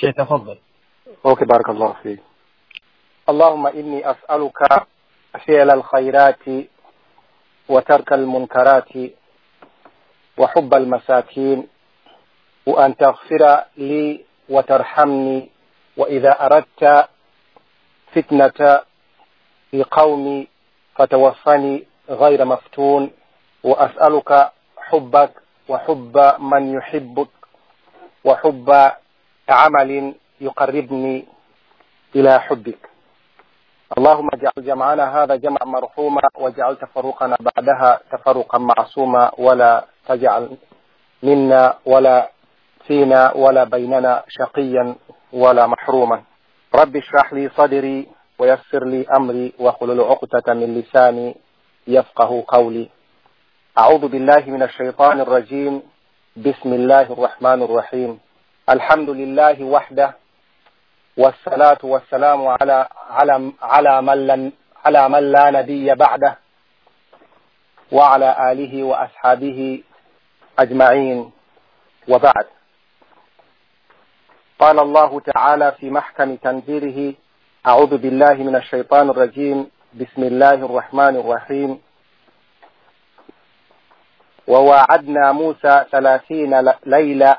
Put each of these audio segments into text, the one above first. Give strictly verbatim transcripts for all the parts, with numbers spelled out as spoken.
Sheikh, تفضل. Okay, بارك الله فيك. اللهم إني أسألك فعل الخيرات وترك المنكرات وحب المساكين وأن تغفر لي وترحمني، وإذا أردت فتنة في قومي فتوفني غير مفتون، وأسألك حبك وحب من يحبك وحب عمل يقربني إلى حبك. اللهم اجعل جمعنا هذا جمع مرحوما، واجعل تفرقنا بعدها تفرقا معصوما، ولا تجعل منا ولا فينا ولا بيننا شقيا ولا محروما. رب اشرح لي صدري ويسر لي أمري واحلل عقدة من لساني يفقه قولي. أعوذ بالله من الشيطان الرجيم. بسم الله الرحمن الرحيم. الحمد لله وحده، والصلاة والسلام على على على من لن على من لا نبي بعده، وعلى آله وأصحابه أجمعين، وبعد. قال الله تعالى في محكم تنزيله: أعوذ بالله من الشيطان الرجيم، بسم الله الرحمن الرحيم. وواعدنا موسى ثلاثين ليلة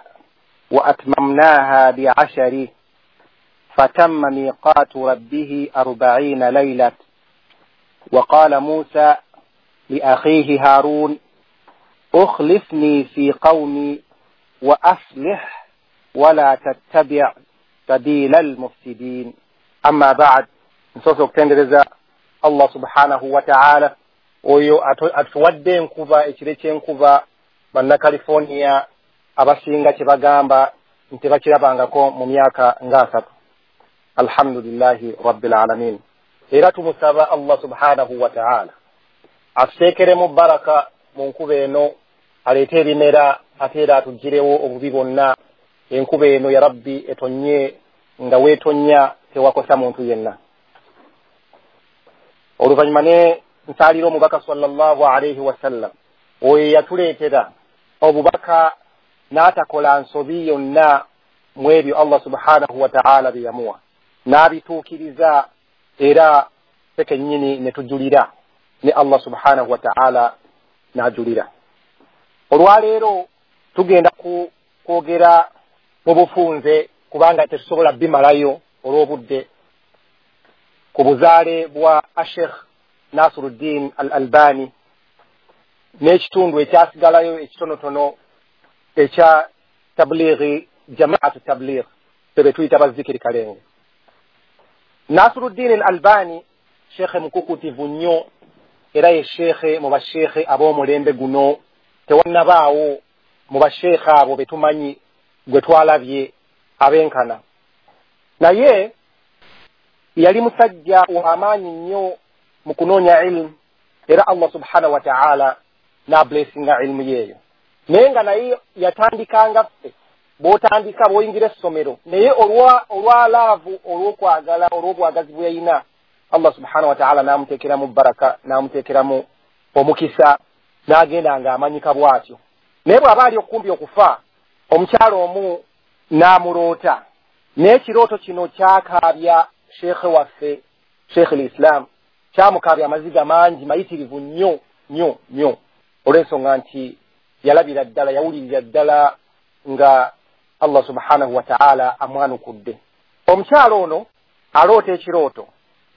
وأتممناها بعشر فتم ميقات ربه أربعين ليلة. وقال موسى لأخيه هارون: أخلفني في قومي وأصلح ولا تتبع سبيل المفسدين. أما بعد، nsoose okutendereza Allah subhanahu wa ta'ala oyo atuwadde enkuba, ekire ky'enkuba bannacalifornia abasinga kye bagamba nti bakirabangako mu myaka ng'asatu. Alhamdulillahi rabbil alamin. Era tumusaba Allah subhanahu wa ta'ala atuteekeremu baraka mu nkuba eno, aleete ebimera, ate era atuggyirewo obubi bwonna. Enkuba eno ya Rabbi etonye nga weetonnya tewakosa muntu yenna. Oluvannyuma ne nsaalira omubaka sallallahu alaihi wasallam, oyo yatuleetera obubaka n'atakola nsobi yonna mu ebyo Allah subhanahu wa ta'ala bye yamuwa, n'abituukiriza, era ffe kennyini ne tujulira ne Allah subhanahu wa ta'ala n'ajulira. Olwaleero tugenda ku kwogera mu bufunze, kubanga tetusobola bimalayo olw'obudde, ku buzaale bwa Sheikh Nasiruddin Al-Albani n'ekitundu ekyasigalayo ekitonotono ekya tablighi, jamaatu tabligh, ffe tuyita bazikiri kalenge. Nasiruddin Al-Albani shekhe mukukutivu nnyo, era ye shekhe mu bashekhe ab'omulembe guno. Tewannabaawo mu bashekhe abo be tumanyi gwe twalabye abenkana. Naye yali musajja w'amaanyi nnyo mu kunoonya ilmu, era Allah subhanahu wa ta'ala n'ablessinga ilmu yeeyo. Naye nga naye yatandikanga ffe, bw'otandika bw'oyingira essomero, naye olwa olwa laavu, olw'okwagala, olw'obwagazi bwe yalina, Allah subhanahu wa ta'ala n'amuteekeramu baraka, n'amuteekeramu omukisa, n'agenda ng'amanyika bw'atyo. Naye bw'aba ali okumpi okufa, omukyalo omu n'amuloota. N'ekirooto kino kyakaabya sheekhe waffe, Sheikh al-Islam, kyamukaabya amaziga mangi mayitirivu nnyo nnyo nnyo, olw'ensonga nti yalabira ddala, yawulirira ddala nga Allah subhanahu wa ta'ala amwanukudde. Omukyalo ono aloota ekirooto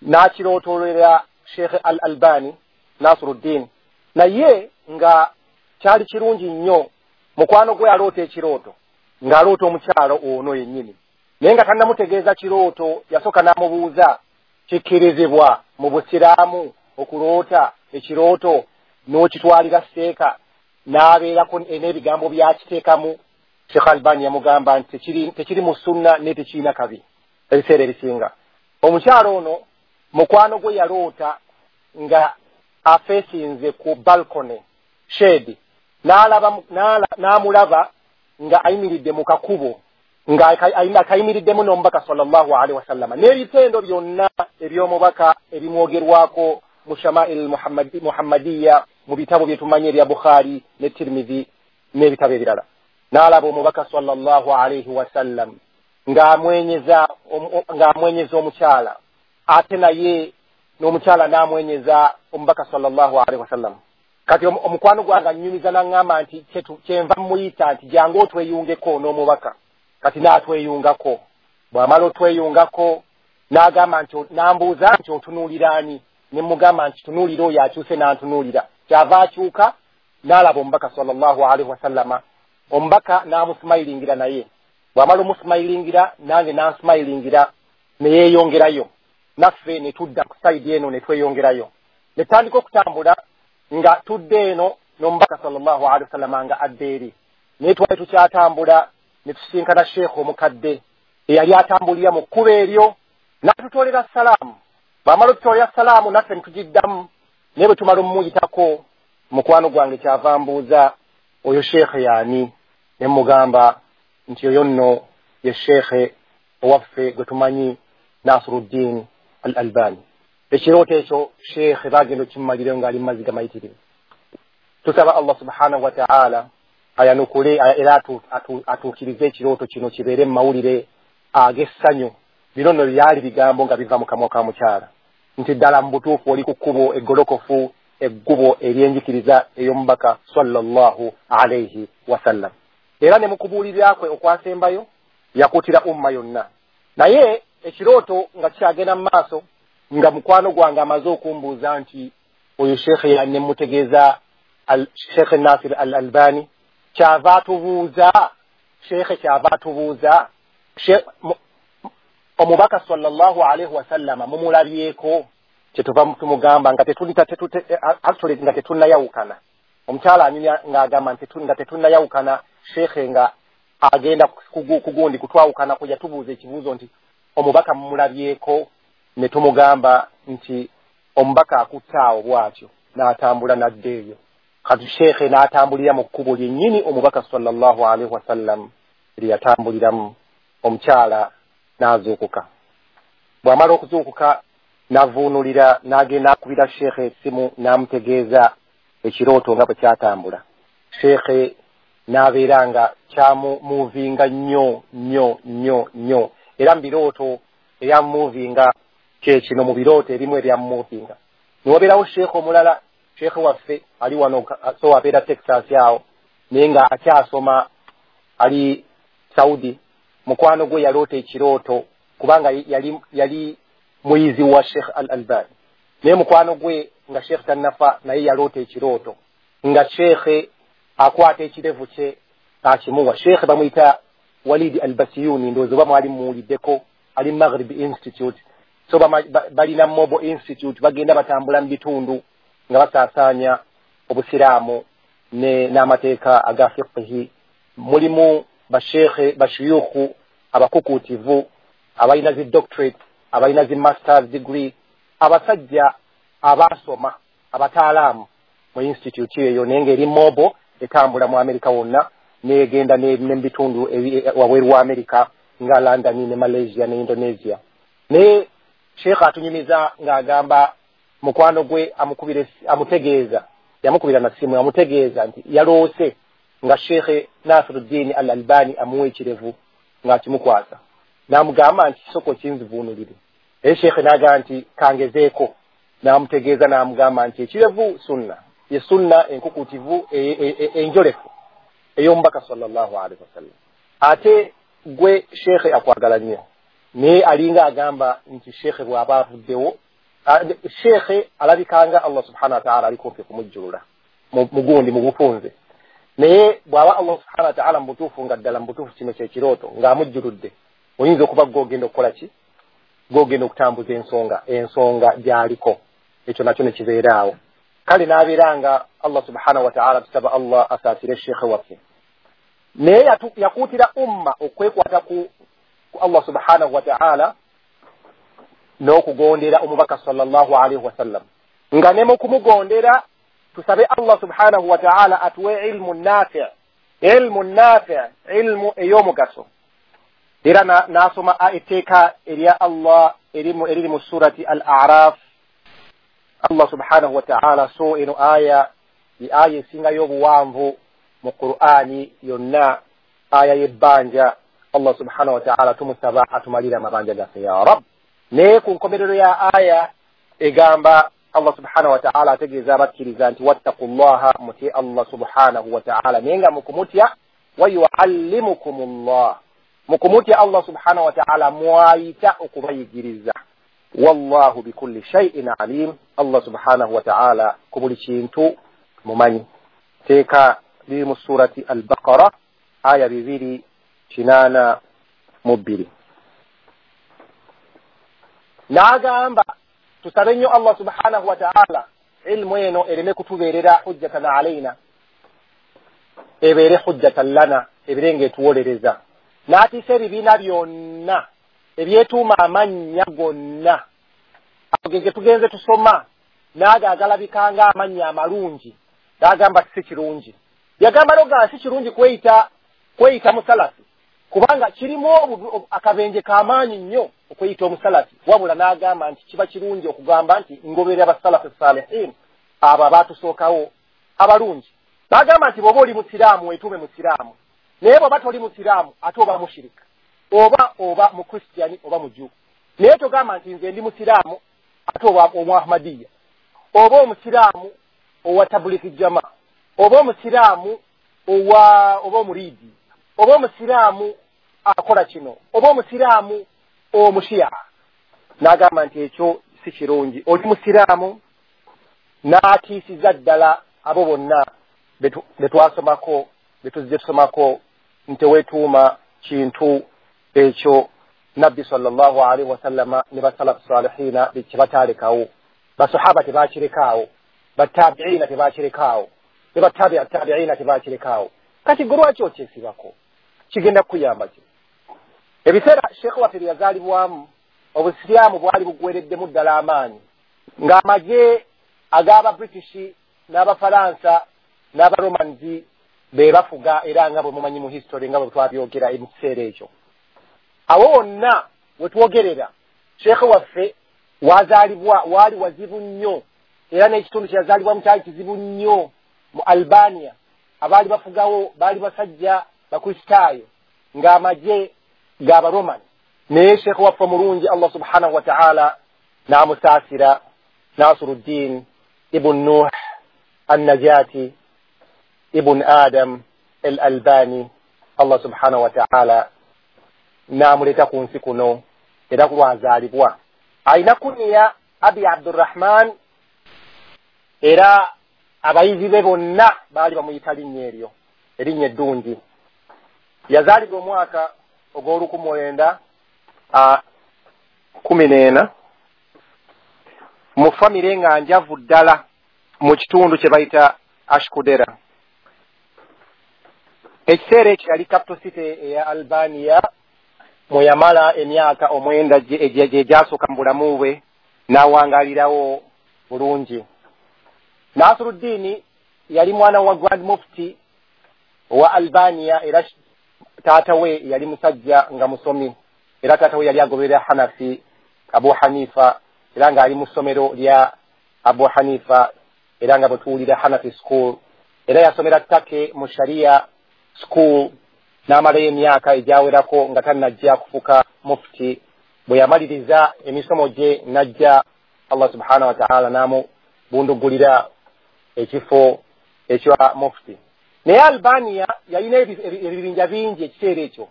n'akirootolera Sheikh Al-Albani Nasiruddin, naye nga kyali kirungi nnyo. Mukwano gwe aloota ekirooto ng'aloota omukyalo ono yennyini, naye nga tannamutegeeza kirooto, yasooka n'amubuuza, kikkirizibwa mu busiraamu okuloota ekirooto n'okitwalira seeka n'abeerako n'ebigambo byakiteekamu? Sheikh Albani yamugamba nti tekiri tekiri mu sunna naye tekirina kabi ebiseera ebisinga. Omukyalo ono mukwano gwe yaloota nga afeesinze ku balcony shade, n'alaba n'amulaba nga ayimiridde mu kakubo, nga akayimiriddemu n'omubaka sallallahu alaihi wasallama, n'ebitendo byonna eby'omubaka ebimwogerwako mu Shama'il Muhammadiya, mu bitabo bye tumanyi ebya Bukhari ne Tirmidhi n'ebitabo ebirala. N'alaba omubaka sallallahu alaihi wasallam ng'amwenyeza ng'amwenyeza omukyala, ate naye n'omukyala n'amwenyeza omubaka sallallahu alaihi wasallam. Kati omukwano gwange annyumiza n'aŋŋamba nti kyenva mmuyita nti jangu otweyungeko n'omubaka. Kati n'atweyungako, bw'amala otweyungako n'agamba nti, n'ambuuza nti otunuulira ani? Ne mugamba nti tunuulira oyo akyuse n'antunuulira. Kyava akyuka n'alaba omubaka sallallahu alaihi wasallama, omubaka n'amusimayiringira naye. Bw'amala omusimayiringira nange n'ansimayiringira ne yeeyongerayo, naffe ne tudda ku sayidi eno ne tweyongerayo. Ne tutandika okutambula nga tudde eno n'omubaka sallallahu alaihi wasallama nga adda eri. Naye twali tukyatambula ne tusisinkana sheekhe omukadde eyali atambulira mu kkubo eryo, n'atutoolera salaamu. Bw'amala otutoolera salaamu naffe ne tugiddamu, naye bwe tumala omumuyitako mukwano gwange kyava mbuuza oyo sheekhe yaani? Ne mugamba nti oyo nno ye sheekhe owaffe gwe tumanyi Nasiruddin al Albani. Ekirooto ekyo sheekhe bagenda okimmalirayo ng'ali mu maziga mayitirivu. Tusaba Allah subhanahu wa ta'ala ayanukule era atuukirize ekirooto kino kibeere mu mawulire ag'essanyu. Bino nno byali bigambo nga biva mu kamwa ka mukyala nti ddala mu butuufu oli ku kkubo eggolokofu, eggubo ery'enjikiriza ey'omubaka sallallahu alaihi wasallam. Era ne mu kubuulirira kwe okwasembayo yakuutira umma yonna. Naye ekirooto nga kikyagenda mu maaso, nga mukwano gwange amaze okumbuuza nti oyo sheekhe, ne mutegeeza Sheekhe Nasir al Albani. Kyava atubuuza sheekhe, kyava atubuuza omubaka sallallahu alaihi wasallama mumulabyeko? Kyetuva tumugamba nga actually nga tetunnayawukana. Omukyala anyumya ng'agamba nti nga tetunnayawukana, sheekhe nga agenda kugundi kutwawukana kwe yatubuuza ekibuuzo nti omubaka mumulabyeko? Ne tumugamba nti omubaka akutte awo bw'atyo n'atambula n'adda eyo. Kati sheekhe n'atambulira mu kkubo lyennyini omubaka sallallahu alaihi wasallam lye yatambuliramu. Omukyala n'azuukuka. Bw'amala okuzuukuka n'avuunulira, n'agenda akubira sheekhe essimu n'amutegeeza ekirooto nga bwe kyatambula. Sheekhe n'abeera nga kyamumuuvinga nnyo nnyo nnyo nnyo, era mu birooto ebyamumunvinga kyekino, mu birooto ebimu ebyamumuvinga. Newabeerawo sheekhe omulala, sheekhe waffe ali wano, so abeera Texas awo, naye nga akyasoma ali Saudi. Mukwano gwe yaloota ekirooto, kubanga yali yali muyizi wa Sheikh Al Albani, naye mukwano gwe nga Sheikh tannafa, naye yaloota ekirooto nga sheekhe akwata ekirevu kye akimuwa. Sheekhe bamuyita Walidi Al Basiyuni, ndowooza oba mwali mumuwuliddeko, ali Maghrib Institute. So balina Mobile Institute, bagenda batambula mu bitundu nga basaasaanya obusiraamu n'amateeka aga fiqhi. Mulimu basheekhe, bashuyukhu abakukuutivu, abalina zi doctorate, abalina zi masters degree, abasajja abaasoma, abataalaamu mu institute eyo, naye ng'eri mobile, etambula mu Amerika wonna, negenda ne mu bitundu wabweru wa Amerika nga London ne Malaysia ne Indonesia. Naye sheekhe atunyumiza ng'agamba mukwano gwe amukubira, amutegeeza, yamukubira na simu amutegeeza nti yaloose nga Sheikh Nasiruddin Al Albani amuwa ekirevu ng'akimukwasa, n'amugamba nti kisoko kinzivuunulire. Naye sheekhe n'agamba nti kangezeeko, n'amutegeeza n'amugamba nti ekirevu sunna, ye sunna enkukutivu enjolefu ey'omubaka sallallahu alaihi wasallam. Ate gwe sheekhe akwagala nnyo, naye alinga agamba nti sheekhe bw'aba avuddewo, sheekhe alabikanga Allah subhanahu wa ta'ala ali kumpi kumujjulula mugundi mu bufunze, naye bw'aba Allah subhanahu wa ta'ala mu butuufu nga ddala mu butuufu kino kyekirooto ng'amujjuludde, oyinza okuba gw'ogenda okukola ki? Gw'ogenda okutambuza ensonga ensonga gy'aliko, ekyo nakyo ne kibeera awo. Kale n'abeera nga Allah subhanahu wa ta'ala, tusaba Allah asaasire sheekhe waffe. Naye yakuutira umma okwekwata ku Allah subhanahu wa ta'ala n'okugondera omubaka sallallahu alaihi wasallam, nga ne mu kumugondera tusabe Allah subhanahu wa ta'ala atuwe ilmu nafi', ilmu nafi', ilmu ey'omugaso. Era n'asoma etteeka erya Allah eriri mu surati Al-A'raf. Allah subhanahu wa ta'ala, so eno aya ye aya esingayo obuwanvu mu Qur'ani yonna, aya y'ebbanja. Allah subhanahu wa ta'ala tumusaba atumalire amabanja gaffe ya rab. Naye ku nkomerero ya aya egamba Allah subhanahu wa ta'ala ategeeza abakkiriza nti wattaqullaha, mutye Allah subhanahu wa ta'ala, naye nga mukumutya wa yuallimukumullah, mukumutya Allah subhanahu wa ta'ala mwayita okubayigiriza. Wallahu bikulli shay'in alim, Allah subhanahu wa ta'ala ku buli kintu mumanyi. Teeka liri mu surati Al-Baqara aya bibiri kinaana mu bbiri. N'agamba tusabe nnyo Allah subhanahu wa ta'ala ilmu eno ereme kutubeerera hujjatan alaina, ebeere hujjatan lana, ebeere ng'etuwolereza. N'atiisa ebibiina byonna ebyetuuma amannya gonna ago ge tugenze tusoma, n'ago agalabika ng'amannya amalungi, n'agamba si kirungi. Yagamba noga si kirungi kweyita kweyita musalafi, kubanga kirimu akabenje k'amaanyi nnyo okweyita omusalafi. Wabula n'agamba nti kiba kirungi okugamba nti ngoberera abasalafi salihin, abo abaatusookawo abalungi. N'agamba nti bw'oba oli musiraamu weetuume musiraamu, naye bw'oba toli musiraamu ate oba mushirika, oba oba mukristiyani oba muju. Naye togamba nti nze ndi musiraamu ate oba omuahmadiya, oba omusiraamu owa tabuliki jama, oba omusiraamu owa oba omuridi, oba omusiraamu akola kino, oba omusiraamu omushiya. N'agamba nti ekyo si kirungi, oli musiraamu. N'atiisiza ddala abo bonna be twasomako, be tuzze tusomako nti weetuuma kintu ekyo Nabbi sallallahu alaihi wasallama ne basalafu salihina kye bataalekawo. Basahaba tebakirekaawo, batabiina tebakirekaawo, ne batabi'a tabiina tebakirekaawo. Kati gwe lwaki okyesibako? Kigenda kukuyamba ki? Ebiseera Sheikh waffe bye yazaalibwamu, obusiraamu bwali buggwereddemu ddala amaanyi, ng'amagye ag'Ababritish n'Abafalansa n'Abaromans be bafuga, era nga bwe mumanyi mu history nga bwe twabyogera mu kiseera ekyo. Awo wonna we twogerera Sheikh waffe wazaalibwa waali wazibu nnyo, era n'ekitundu kye yazaalibwamu kyali kizibu nnyo mu Albania. Abaali bafugawo baali basajja Bakristaayo ng'amagye g'Abaroman. Naye Sheikh waffe omulungi Allah subhanahu wa ta'ala n'amusaasira, Nasiruddin ibn Nuh An-Najati ibn Adam al-Albani, Allah subhanahu wa ta'ala n'amuleeta ku nsi kuno era kulwazaalibwa. Alina kuniya Abi Abdurrahman, era abayizi be bonna baali bamuyita linnya eryo, erinnya eddungi. Yazaalibwa omwaka ogw'olukumi mwenda kumi n'ena mu famire nga njavu ddala mu kitundu kye bayita Ashkudera. Ekiseera ekyo yali capital city eya Albania, mwe yamala emyaka omwenda gye gyasooka mu bulamu bwe, n'awangaalirawo bulungi. Nasiruddin yali mwana wa Grand Mufti owa Albania, era taata we yali musajja nga musomi, era taata we yali agoberera Hanafi Abu Hanifa, era ng'ali mu ssomero lya Abu Hanifa, era nga bwe tuwulira Hanafi School. Era yasomera Turkey mu Sharia School n'amalayo emyaka egyawerako nga tannajja kufuuka mufti. Bwe yamaliriza emisomo gye n'ajja Allah subhanahu wa ta'ala n'amubundugulira ekifo ekya mufti. Naye Albania yalina ebibinja bingi ekiseera ekyo,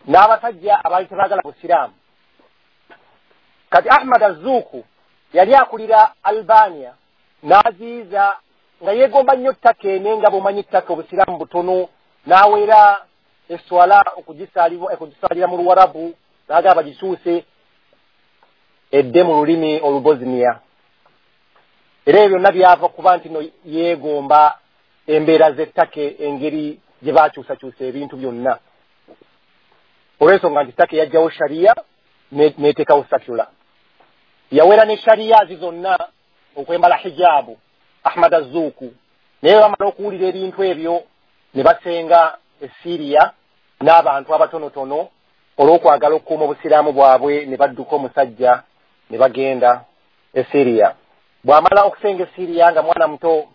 n'abasajja abaali tebaagala busiraamu. Kati Ahmad Azuku yali akulira Albania, n'aziiza nga yeegomba nnyo ttaka ene, nga bw'omanyi ttaka obusiraamu butono, n'awera eswala okugisaalira mu Luwarabu, n'agamba bagisuuse edde mu lulimi Olubosnia. Era ebyo byonna byava kuba nti no yeegomba embeera z'ettaka, engeri gye baakyusakyusa ebintu byonna, olw'ensonga nti ttaka yajjawo sharia n'eteekawo sakula. Yawera ne sharia zi zonna okwembala hijabu Ahmad Azuku. Naye bamala okuwulira ebintu ebyo ne basenga e Syria n'abantu abatonotono olw'okwagala okukuuma obusiraamu bwabwe, ne badduka omusajja ne bagenda e Syria. Bw'amala okusenga e Syria nga mwana muto,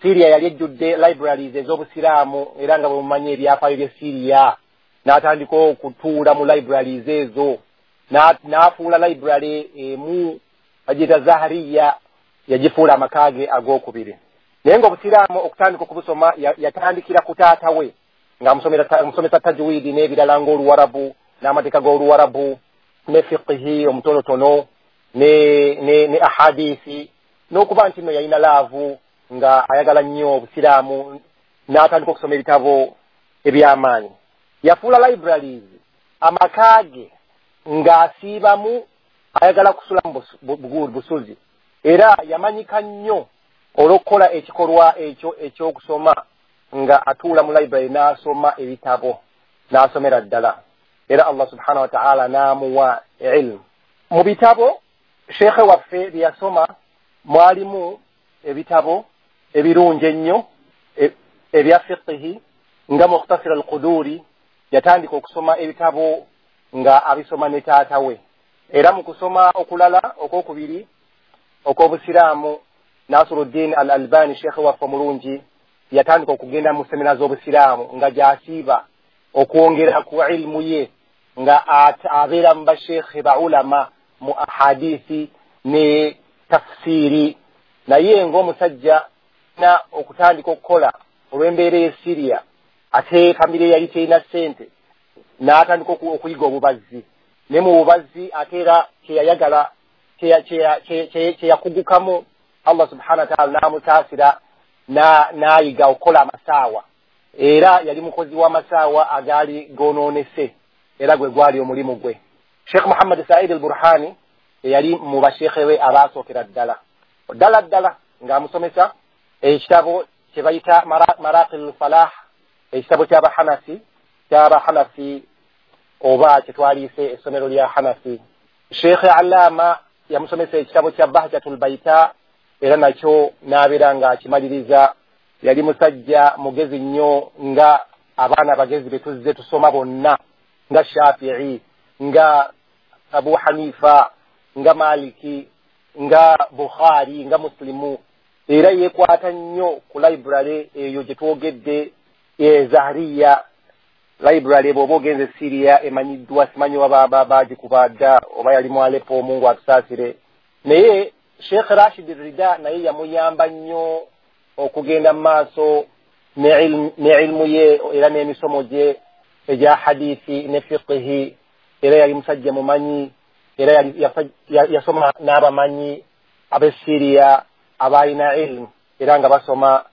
Syria yali ejjudde libraries ez'obusiraamu, era nga bwe mumanyi ebyafaayo by'e Syria N'atandika okutuula mu libraries ezo, n'afuula library emu bagiyita Zahariya, yagifuula amaka ge ag'okubiri. Naye ng'obusiraamu okutandika okubusoma yatandikira ku taata we ng'amusomesa tajwidi n'ebirala ng'oluwarabu n'amateeka g'oluwarabu ne fiqhi omutonotono ne ne ne ahadisi, n'okuba nti nno yalina laavu nga ayagala nnyo obusiraamu, n'atandika okusoma ebitabo eby'amaanyi. Yafuula libraries amaka ge ng'asiibamu, ayagala kusulamu busuzi. Era yamanyika nnyo olw'okukola ekikolwa ekyo ekyokusoma nga atuula mu library n'asoma ebitabo n'asomera ddala, era Allah subhanahu wa ta'ala n'amuwa ilmu. Mu bitabo sheekhe waffe bye yasoma mwalimu ebitabo ebirungi ennyo ebya fiqhi nga Mukhtasir al-Quduri. Yatandika okusoma ebitabo nga abisoma ne taata we. Era mu kusoma okulala okwokubiri okw'obusiraamu, Nasiruddin al-Albani sheekhe waffe omulungi yatandika okugenda mu semina z'obusiraamu nga gy'asiiba okwongera ku ilmu ye, nga abeera mu basheekhe ba ulama mu ahadisi ne tafsiri. Naye ng'omusajja na okutandika okukola olw'embeera y'e Syria, ate famire yali terina ssente, n'atandika okuyiga obubazzi. Ne mu bubazzi ate era kyeyayagala kyeyakugukamu, Allah subhanahu wa ta'ala n'amutaasira n'ayiga okukola amasaawa. Era yali mukozi w'amasaawa agaali goonoonese, era gwe gwali omulimu gwe. Sheikh Muhammad Said al-Burhani eyali mu basheekhe be abaasookera ddala ddala ddala ng'amusomesa ekitabo kye bayita Maraqil Falah, ekitabo ky'Abahanafi ky'Abahanafi oba kye twaliise essomero lya Hanafi. Sheikh Allama yamusomesa ekitabo kya Bahjatul Baita, era nakyo n'abeera ng'akimaliriza. Yali musajja mugezi nnyo nga abaana abagezi be tuzze tusoma bonna, nga Shafi'i, nga Abu Hanifa, nga Maliki, nga Bukhari, nga Muslimu. Era yeekwata nnyo ku library eyo gye twogedde e Zahariya library. Bw'oba ogenze Syria emanyiddwa, simanyi oba baagikuba dda oba yali mu Aleppo, Mungu atusaasire. Naye Sheikh Rashid Rida naye yamuyamba nnyo okugenda mu maaso ne ilmu ye era n'emisomo gye egya hadithi ne fiqhi. Era yali musajja mumanyi, era yasoma n'abamanyi ab'e Syria abalina ilmu, era nga basoma.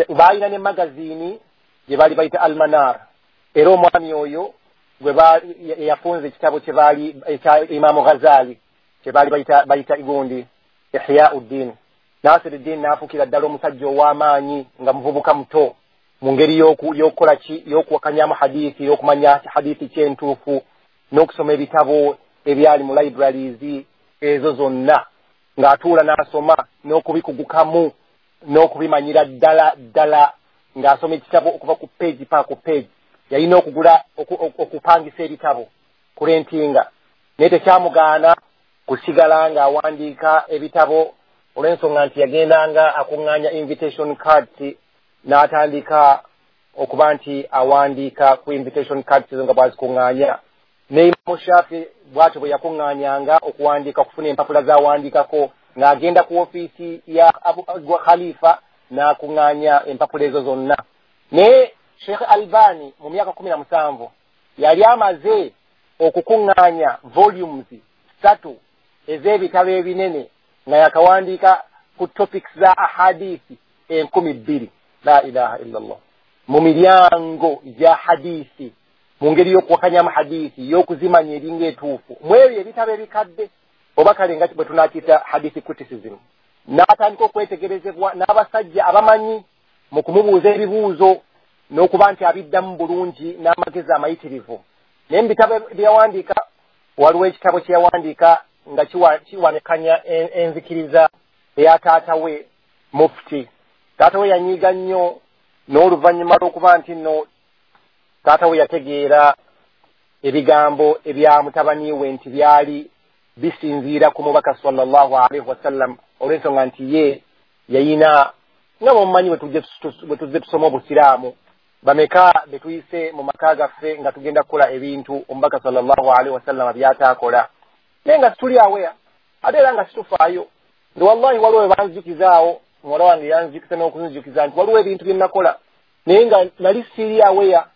Baalina ne magazini gye baali bayita Almanar. Era omwami oyo gwe yafunza ekitabo kye baali ekya Imamu Ghazali kye baali bayita bayita igundi Ihyauddin. Nasiruddin n'afuukira ddala omusajja ow'amaanyi nga muvubuka muto mu ngeri y'okukola ki, y'okuwakanyamu hadithi, y'okumanya hadithi kyentuufu, n'okusoma ebitabo ebyali mu libraries ezo zonna, ng'atuula n'asoma n'okubikugukamu n'okubimanyira ddala ddala, ng'asoma ekitabo okuva ku page paka ku page. Yalina okugula okupangisa ebitabo kurentinga, naye tekyamugaana kusigala ng'awandiika ebitabo olw'ensonga nti yagendanga akuŋŋaanya invitation cards, n'atandika okuba nti awandiika ku invitation cards ezo nga bw'azikuŋŋaanya. Ne Imamu Shafi bw'atyo bwe yakuŋŋaanyanga okuwandiika, okufuna empapula z'awandiikako, ng'agenda ku ofiisi ya Khalifa n'akuŋŋaanya empapula ezo zonna. Naye Sheikh Albani mu myaka kumi na musanvu yali amaze okukuŋŋaanya volumes ssatu ez'ebitabo ebinene nga yakawandiika ku topics za ahadisi enkumi bbiri. La ilaha illallah. Mu miryango gya hadisi, mu ngeri y'okuwakanyamu hadisi, y'okuzimanya eringa etuufu, mu ebyo ebitabo ebikadde oba kale nga bwe tunaakiyita hadisi criticism. N'atandika okwetegerezebwa n'abasajja abamanyi mu kumubuuza ebibuuzo n'okuba nti abiddamu bulungi n'amagezi amayitirivu. Naye mu bitabo bye yawandiika waliwo ekitabo kye yawandiika nga kiwanekanya enzikiriza eya taata we Mufti. Taata we yanyiiga nnyo, n'oluvannyuma lw'okuba nti nno taata we yategeera ebigambo ebya mutabani we nti byali bisinziira ku mubaka sallallahu alaihi wasallam, olw'ensonga nti ye yayina nga bwemumanyi bwe tuzze tusoma obusiraamu, Bameka betuyise mu maka gaffe nga tugenda kukola ebintu omubaka sallallahu alaihi wasallama byataakola, naye nga situli aweya, ate era nga situfaayo. Nti wallahi waliwo we banzijukizaawo, muwala wange yanzijukiza n'okunzijukiza nti waliwo ebintu bye nakola naye nga nali siri aweya,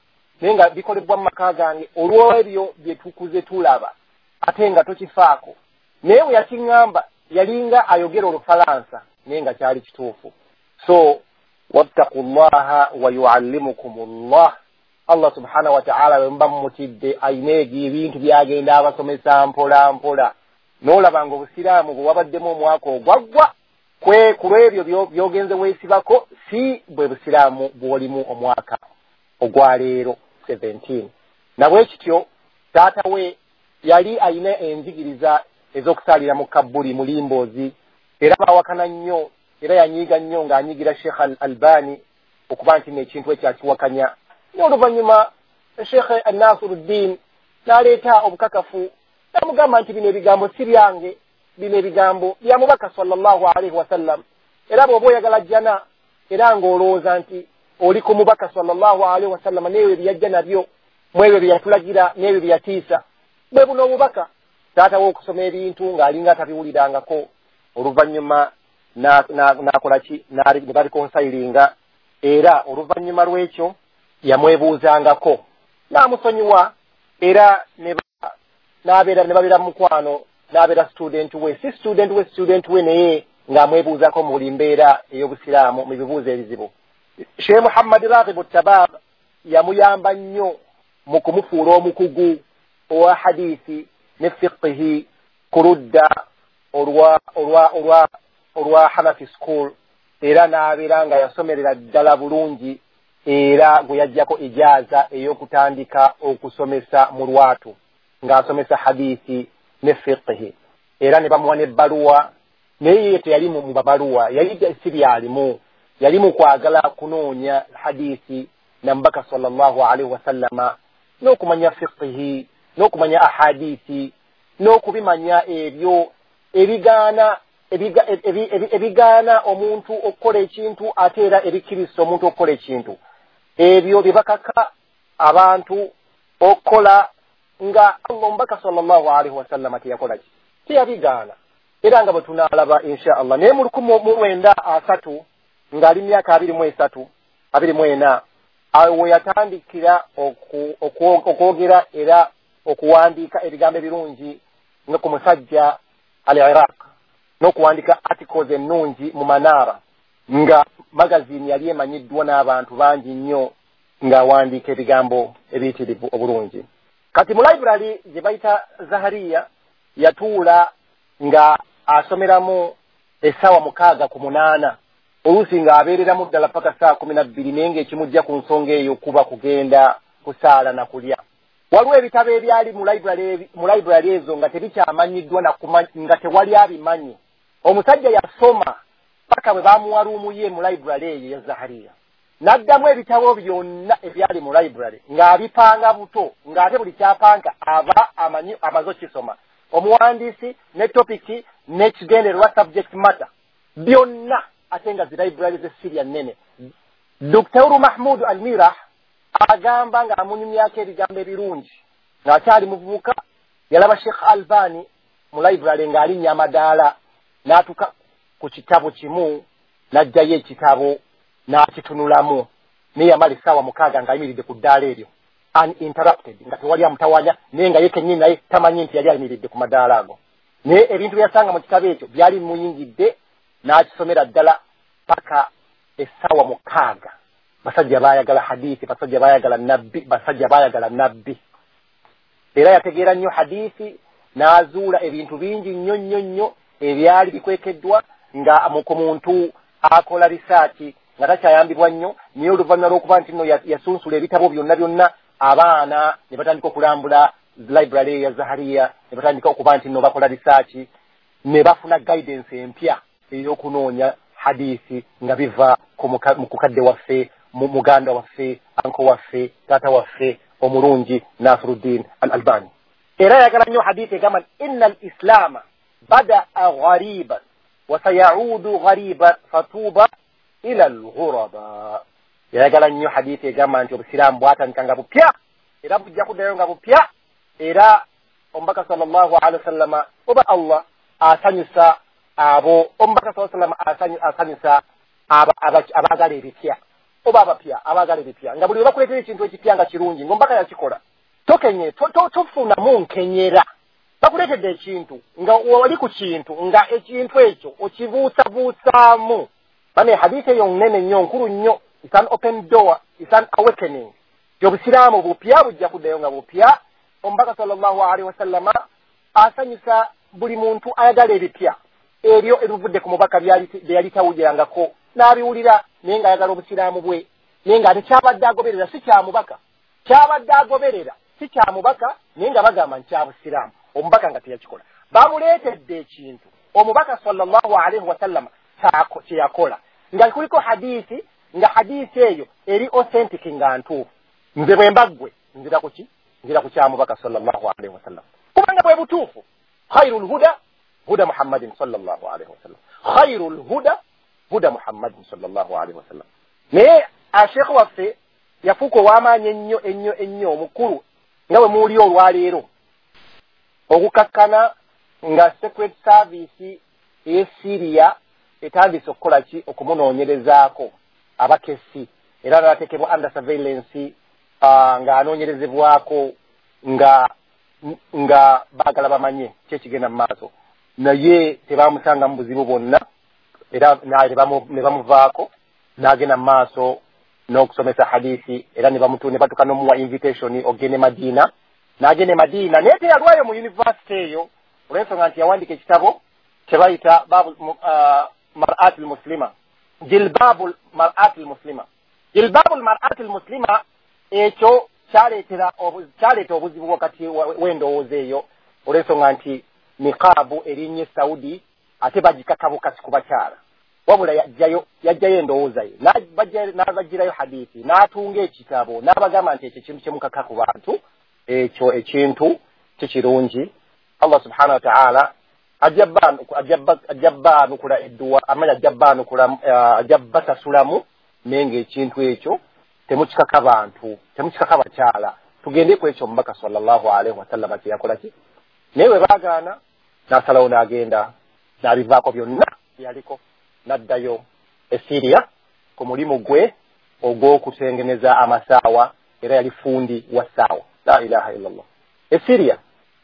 naye nga bikolebwa mu maka gange olw'ebyo bye tukuze tulaba, ate nga tokifaako. Naye bwe yakiŋŋamba yalinga ayogera Olufalansa, naye nga kyali kituufu. So wattaqu llaha wa yuallimukum llah, Allah subhanahu wa ta'ala bwe muba mumutidde ayina egyo ebintu byagenda abasomesa mpola mpola, n'olaba nga obusiraamu bwe wabaddemu omwaka ogwaggwa kwe ku lw'ebyo by'ogenze weesibako si bwe busiraamu bw'olimu omwaka ogwaleero seventeen. Nabwe kityo taata we yali ayina enjigiriza ez'okusaalira mu kabbuli mu limboozi, era baawakana nnyo, era yanyiiga nnyo ng'anyigira Sheikh Al-Albani okuba nti n'ekintu ekyo akiwakanya. Naye oluvannyuma Sheikh Nasiruddin n'aleeta obukakafu n'amugamba nti bino ebigambo si byange, bino ebigambo bya mubaka sallallahu alaihi wasallam. Era bw'oba oyagala jjana era ng'olowooza nti oli ku mubaka sallallahu alaihi wasallam n'ebyo bye yajja nabyo, mu ebyo bye yatulagira n'ebyo bye yatiisa, bwe buno obubaka. Taata we okusoma ebintu ng'alinga atabiwulirangako, oluvannyuma n'akola ki, ne babikonsayiringa, era oluvannyuma lw'ekyo yamwebuuzangako n'amusonyiwa, era ne n'abeera ne babeera mukwano, n'abeera student we, si student we student we naye ng'amwebuuzako mu buli mbeera ey'obusiraamu mu bibuuzo ebizibu. Sheikh Muhammad Raghib Tabab yamuyamba nnyo mu kumufuula omukugu owa hadithi ne fiqhi ku ludda olwa olwa olwa olwa Hanafi school, era n'abeera nga yasomerera ddala bulungi, era gwe yajjako ijaaza ey'okutandika okusomesa mu lwatu ng'asomesa hadithi ne fiqhi, era ne bamuwa n'ebbaluwa. Naye ye teyali mu babaluwa, yali si byalimu, yali mu kwagala kunoonya hadithi na mubaka sallallahu alaihi wasallama, n'okumanya fiqhi n'okumanya ahadithi n'okubimanya ebyo ebigaana ebigaana omuntu okukola ekintu, ate era ebikkiriza omuntu okukola ekintu. Ebyo bye bakaka abantu okukola nga Allah omubaka sallallahu alaihi wasallama teyakola ki, teyabigaana. Era nga bwe tunaalaba insha Allah. Naye mu lukumi mu lwenda asatu ng'ali myaka abiri mu esatu abiri mu ena, awo we yatandikira okwogera era okuwandiika ebigambo ebirungi nga ku musajja al Iraq, n'okuwandiika articles ennungi mu Manara, nga magazine yali emanyiddwa n'abantu bangi nnyo, ng'awandiika ebigambo ebiyitirivu obulungi. Kati mu library gye bayita Zahariya yatuula nga asomeramu essaawa mukaaga ku munaana, oluusi ng'abeereramu ddala paka ssaawa kumi na bbiri, naye ng'ekimujja ku nsonga eyo kuba kugenda kusaala na kulya. Waliwo ebitabo ebyali mu library mu library ezo nga tebikyamanyiddwa na nga tewali abimanyi. Omusajja yasoma paka bwe bamuwa ruumu ye mu library eyo ya Zahariya, n'addamu ebitabo byonna ebyali mu library ng'abipanga buto, ng'ate buli kyapanga aba amanyi amaze okisoma, omuwandiisi ne topiki n'ekigendererwa subject matter byonna, ate nga zi library z'e Syria nnene. Doctor Mahmoud Al-Mirah agamba ng'amunyumyako ebigambo ebirungi ng'akyali muvubuka, yalaba Sheikh Albani mu library ng'alinnya amadaala, n'atuuka ku kitabo kimu n'aggyayo ekitabo n'akitunulamu, naye yamala essaawa mukaaga ng'ayimiridde ku ddaala eryo uninterrupted, nga tewali amutawanya, naye nga ye kennyini naye tamanyi nti yali ayimiridde ku madaala ago. Naye ebintu bye yasanga mu kitabo ekyo byali bimuyingidde, n'akisomera ddala paka essaawa mukaaga. Basajja baayagala hadithi, basajja baayagala nabbi, basajja baayagala nabbi. Era yategeera nnyo hadithi, n'azuula ebintu bingi nnyo nnyo nnyo ebyali bikwekeddwa nga ku muntu akola risaaki nga takyayambibwa nnyo. Naye oluvannyuma lw'okuba nti nno yasunsula ebitabo byonna byonna, abaana ne batandika okulambula library ya Zahariya, ne batandika okuba nti nno bakola risaaki, ne bafuna guidance empya ey'okunoonya hadithi nga biva ku mukadde waffe, mu muganda waffe, anko waffe, taata waffe omulungi Nasiruddin Al-Albani. Era yayagala nnyo hadithi egamba inna al-islaama badaa ghariban wa sayaudu ghariban fatuba ila al-ghuraba. Yayagala nnyo hadithi egamba nti obusiraamu bwatandika nga bupya era bujja kuddayo nga bupya, era omubaka sallallahu alaihi wasallama oba Allah asanyusa abo, omubaka sallallahu alaihi wasallama asanyusa abaagala ebipya oba abapya abaagala ebipya, nga buli bakuleetera ekintu ekipya nga kirungi ng'omubaka yakikola tokenye tofunamu nkenyera. Bakuleetedde ekintu nga wali ku kintu nga ekintu ekyo okibuusabuusaamu. Bane hadithi eyo nnene nnyo nkulu nnyo, it's an open door, it's an awakening. Obusiraamu bupya bujja kuddayo nga bupya. Omubaka sallallahu alaihi wasallama asanyusa buli muntu ayagala ebipya ebyo ebivudde ku mubaka bye yali tawulirangako n'abiwulira, naye ng'ayagala obusiraamu bwe, naye ng'ate kyabadde agoberera si kya mubaka, kyabadde agoberera si kya mubaka, naye nga bagamba nti kya busiraamu, omubaka nga teyakikola. Bamuleetedde ekintu omubaka sallallahu alaihi wasallama kye yakola nga kuliko hadithi, nga hadithi eyo eri authentic nga ntuufu. Nze bwe mbaggwe nzira ku ki? Nzira ku kya mubaka sallallahu alaihi wasallam, kubanga bwe butuufu. Khairul huda huda Muhammadin sallallahu alaihi wasallam, khairul huda huda Muhammadin sallallahu alaihi wasallam. Naye ashekhe waffe yafuuka ow'amaanyi ennyo ennyo ennyo omukulu nga bwe muwulira olwaleero, okukakkana nga secret service ey'e Syria etandise okukola ki? Okumunoonyerezaako abakesi, era n'ateekebwa under surveillance, ng'anoonyerezebwako nga nga baagala bamanye ki ekigenda mu maaso, naye tebamusanga mu buzibu bwonna, era ne bamuvaako n'agenda mu maaso n'okusomesa hadithi, era ne batuuka n'omuwa invitation ogende Madina, n'agenda e Madina, naye teyalwayo mu university eyo olw'ensonga nti yawandiika ekitabo kye bayita Mar'at al-Muslima, Jilbabul Mar'at al-Muslima. Jilbabul Mar'at al-Muslima ekyo kyaleetera kyaleeta obuzibu wakati w'endowooza eyo olw'ensonga nti niqaabu erinnya e Saudi ate bagikakabukasi ku bakyala, wabula yajjayo yajjayo endowooza ye n'abagirayo hadithi n'atunga ekitabo n'abagamba nti ekyo ekintu kyemukaka ku bantu ekyo ekintu kikirungi. Allah subhanahu wa ta'ala ajja baanukula edduwa, amanya ajja baanukula, ajja basasulamu, naye ng'ekintu ekyo temukikaka bantu, temukikaka bakyala. Tugende ku ekyo omubaka sallallahu alaihi wasallama kye yakola ki, naye bwe baagaana n'asalawo n'agenda n'abivaako byonna byaliko n'addayo e Syria ku mulimu gwe ogw'okutengeneza amasaawa, era yali fundi wa ssaawa. La ilaha illallah. E Syria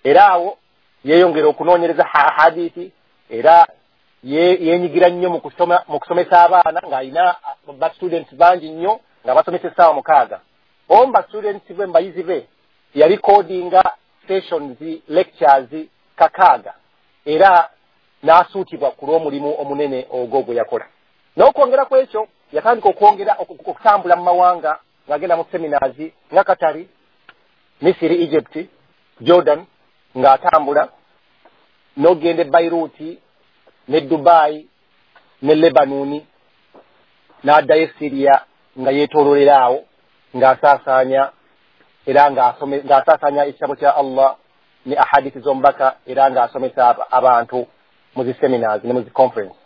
era awo yeeyongera okunoonyereza hadithi, era yeenyigira nnyo mu kusomesa abaana ng'alina ba students bangi nnyo nga basomesa essaawa mukaaga. Omu ba students be mbayizi be yalikodinga sessions lectures kakaaga, era n'asuutibwa ku lw'omulimu omunene ogwo gwe yakola. N'okwongera ku ekyo yatandika okwongera okutambula mu mawanga ng'agenda mu seminars nga Katari, Misiri, Egypt, Jordan, ng'atambula n'ogenda e Beirut ne Dubai ne Lebanoni, n'addayo e Syria nga yeetoololera awo ng'asaasaanya era ng'asaasaanya ekitabo kya Allah ne ahadithi z'omubaka, era ng'asomesa abantu mu zi seminars ne mu zi conference.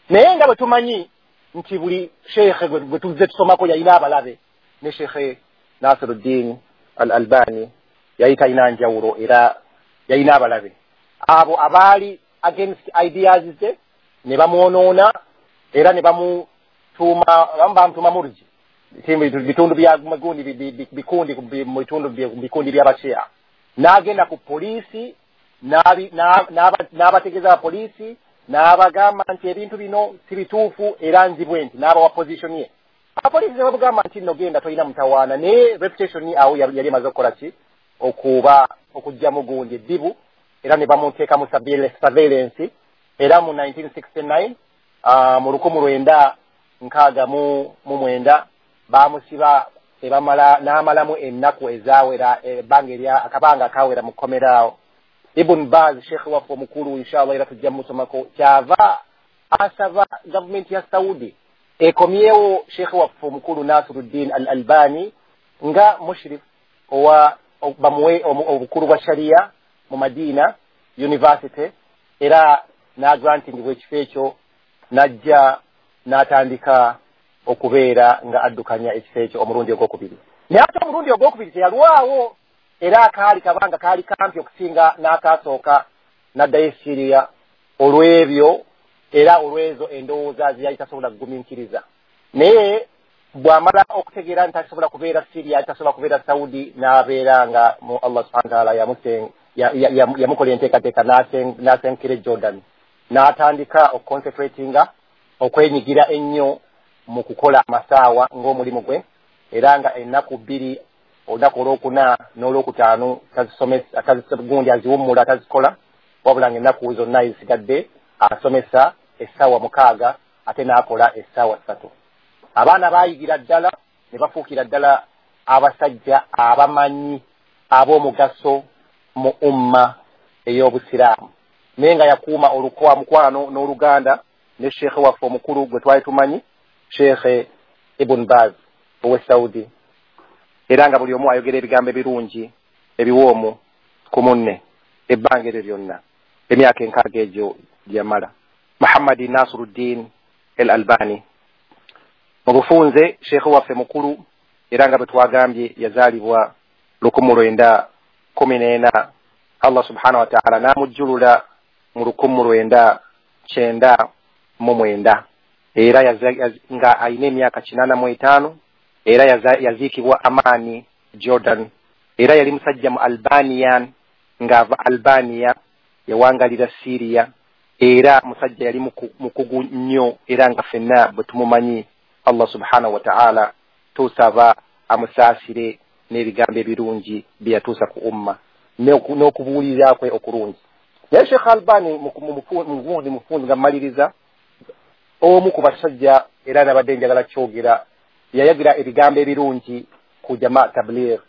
Naye nga bwe tumanyi nti buli sheekhe gwe tuzze tusomako yalina abalabe, ne Sheekhe Nasiruddin Al-Albani yali talina njawulo, era yalina abalabe abo abaali against ideas ze ne bamwonoona, era ne bamutuuma, abamu bamutuuma murji, bitundu bya magundi bikundi mu bitundu bikundi by'abashia. N'agenda ku poliisi n'abategeeza abapoliisi n'abagamba nti ebintu bino si bituufu era nzibwe nti n'abawa position ye. Abapoliisi ne bamugamba nti nno genda tolina mutawaana, naye reputation awo yali emaze okukola ki? Okuba okuggyamu gundi eddibu, era ne bamuteekamu surveillance. Era mu nineteen sixty-nine mu lukumi lwenda nkaaga mu mwenda bamusiba ebamala n'amalamu ennaku ezaawera ebbanga erya akabanga akawera mu kkomera awo. Ibn Baz sheikh waffe omukulu inshallah era tujja musomako, kyava asaba gavumenti ya Saudi ekomyewo sheikh waffe omukulu Nasiruddin Al-Albani nga mushrif owa bamuwe obukulu bwa sharia mu Madina University, era n'agrantingibwa ekifo ekyo n'ajja n'atandika okubeera nga addukanya ekifo ekyo omulundi ogwokubiri. Naye ate omulundi ogwokubiri teyalwawo, era akaali kabanga kaali kampi okusinga n'akasooka, n'addayo e Syria olw'ebyo era olw'ezo endowooza ze yali tasobola kugumiikiriza. Naye bw'amala okutegeera nti tasobola kubeera Syria, tasobola kubeera Saudi, n'abeera nga mu Allah subhanahu wa ta'ala yamukola enteekateeka n'asenkera e Jordan, n'atandika okuconcentratinga okwenyigira ennyo mu kukola amasaawa ng'omulimu gwe, era nga ennaku bbiri olunaku olwokuna n'olwokutaano tazisomesa, gundi aziwummula tazikola, wabula nga ennaku zonna ezisigadde asomesa essaawa mukaaga ate n'akola essaawa ssatu. Abaana baayigira ddala ne bafuukira ddala abasajja abamanyi ab'omugaso mu umma ey'obusiraamu. Naye nga yakuuma olukwa mukwano n'oluganda ne sheekhe waffe omukulu gwe twali tumanyi, Sheekhe Ibn Baz owe Saudi, era nga buli omu ayogera ebigambo ebirungi ebiwoomu ku munne ebbanga eryo lyonna emyaka enkaaga egyo gyeyamala. Muhammadi Nasiruddin El Albani mu bufunze sheekhe waffe mukulu, era nga bwe twagambye yazaalibwa lukumu lwenda kumi n'ena, Allah subhanahu wa ta'ala n'amujjulula mu lukumu lwenda kyenda mu mwenda, era nga alina emyaka kinaana mu etaano, era yaziikibwa Amani Jordan. Era yali musajja mu Albanian, ng'ava Albania yawangalira Syria, era musajja yali mukugu nnyo, era nga ffenna bwe tumumanyi. Allah subhanahu wa ta'ala tusaba amusaasire n'ebigambo ebirungi bye yatuusa ku umma n'okubuulirira kwe okulungi. Naye Sheikh Albani mugundi mufunzi nga mmaliriza, omu ku basajja era nabadde njagala kyogera, yayagira ebigambo ebirungi ku Jamaa Tabligh.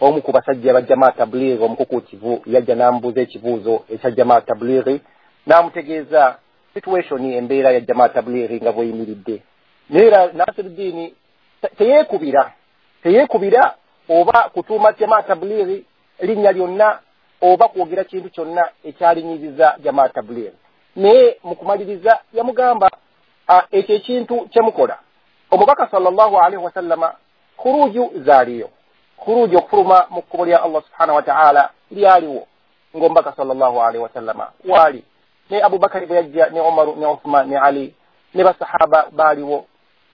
Omu ku basajja ba Jamaa Tabligh omukukuutivu yajja n'amubuuza ekibuuzo ekya Jamaa Tabligh, n'amutegeeza situation embeera ya Jamaa Tabligh nga bweyimiridde. Naye era Nasiruddin teyeekubira teyeekubira oba kutuuma Jamaa Tabligh linnya lyonna oba kwogera kintu kyonna ekyalinyiziza Jamaa Tabligh. Naye mu kumaliriza yamugamba ekyo ekintu kyemukola, omubaka sallallahu alaihi wasallama khuruju zaaliyo, khuruju okufuluma mu kkubo lya Allah subhanahu wa ta'ala lyaliwo ng'omubaka sallallahu alaihi wasallama waali, ne Abubakari bwe yajja ne Umaru ne Uthman ne Ali ne basahaba baaliwo,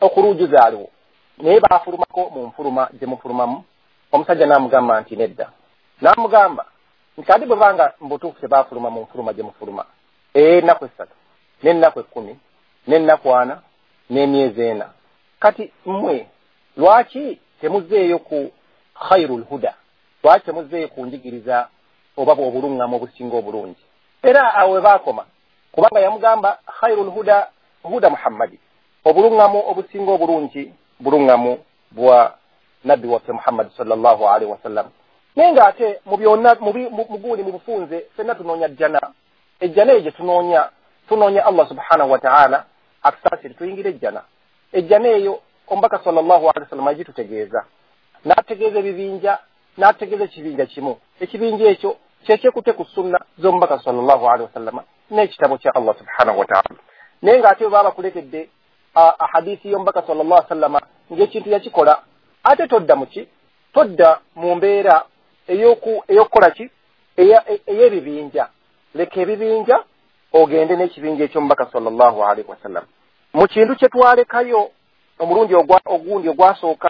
okhuruju zaaliwo, naye baafulumako mu nfuluma gye mufulumamu. Omusajja n'amugamba nti nedda, n'amugamba nti ate bwe banga mu butuufu tebaafuluma mu nfuluma gye mufuluma ennaku essatu n'ennaku ekkumi n'ennaku ana n'emyezi ena, kati mmwe lwaki temuzzeeyo ku khairul huda, lwaki temuzzeeyo ku njigiriza oba obuluŋŋamu obusinga obulungi? Era awo we baakoma, kubanga yamugamba khairul huda huda Muhammadi, obuluŋŋamu obusinga obulungi buluŋŋamu bwa nabbi waffe Muhammadi sallallahu alaihi wasallam. Naye ng'ate mu byonna muguuli mu bufunze ffenna tunoonya jjana, ejjana eyo gye tunoonya tunoonya Allah subhanahu wa ta'ala atusaasire tuyingire ejjana. Ejjana eyo omubaka sallallahu alaihi wasallam agitutegeeza, n'ategeeza ebibinja, n'ategeeza ekibinja kimu, ekibinja ekyo kyekyekutte ku sunna z'omubaka sallallahu alaihi wasallam n'ekitabo kya Allah subhanahu wa ta'ala. Naye ng'ate bwe baba bakuleetedde ahadisi y'omubaka sallallahu alaihi wasallam ng'ekintu yakikola, ate todda mu ki? Todda mu mbeera ey'okukola ki? Ey'ebibinja. Leka ebibinja ogende n'ekibinja eky'omubaka sallallahu alaihi wasallam. Mu kintu kye twalekayo omulundi ogundi ogwasooka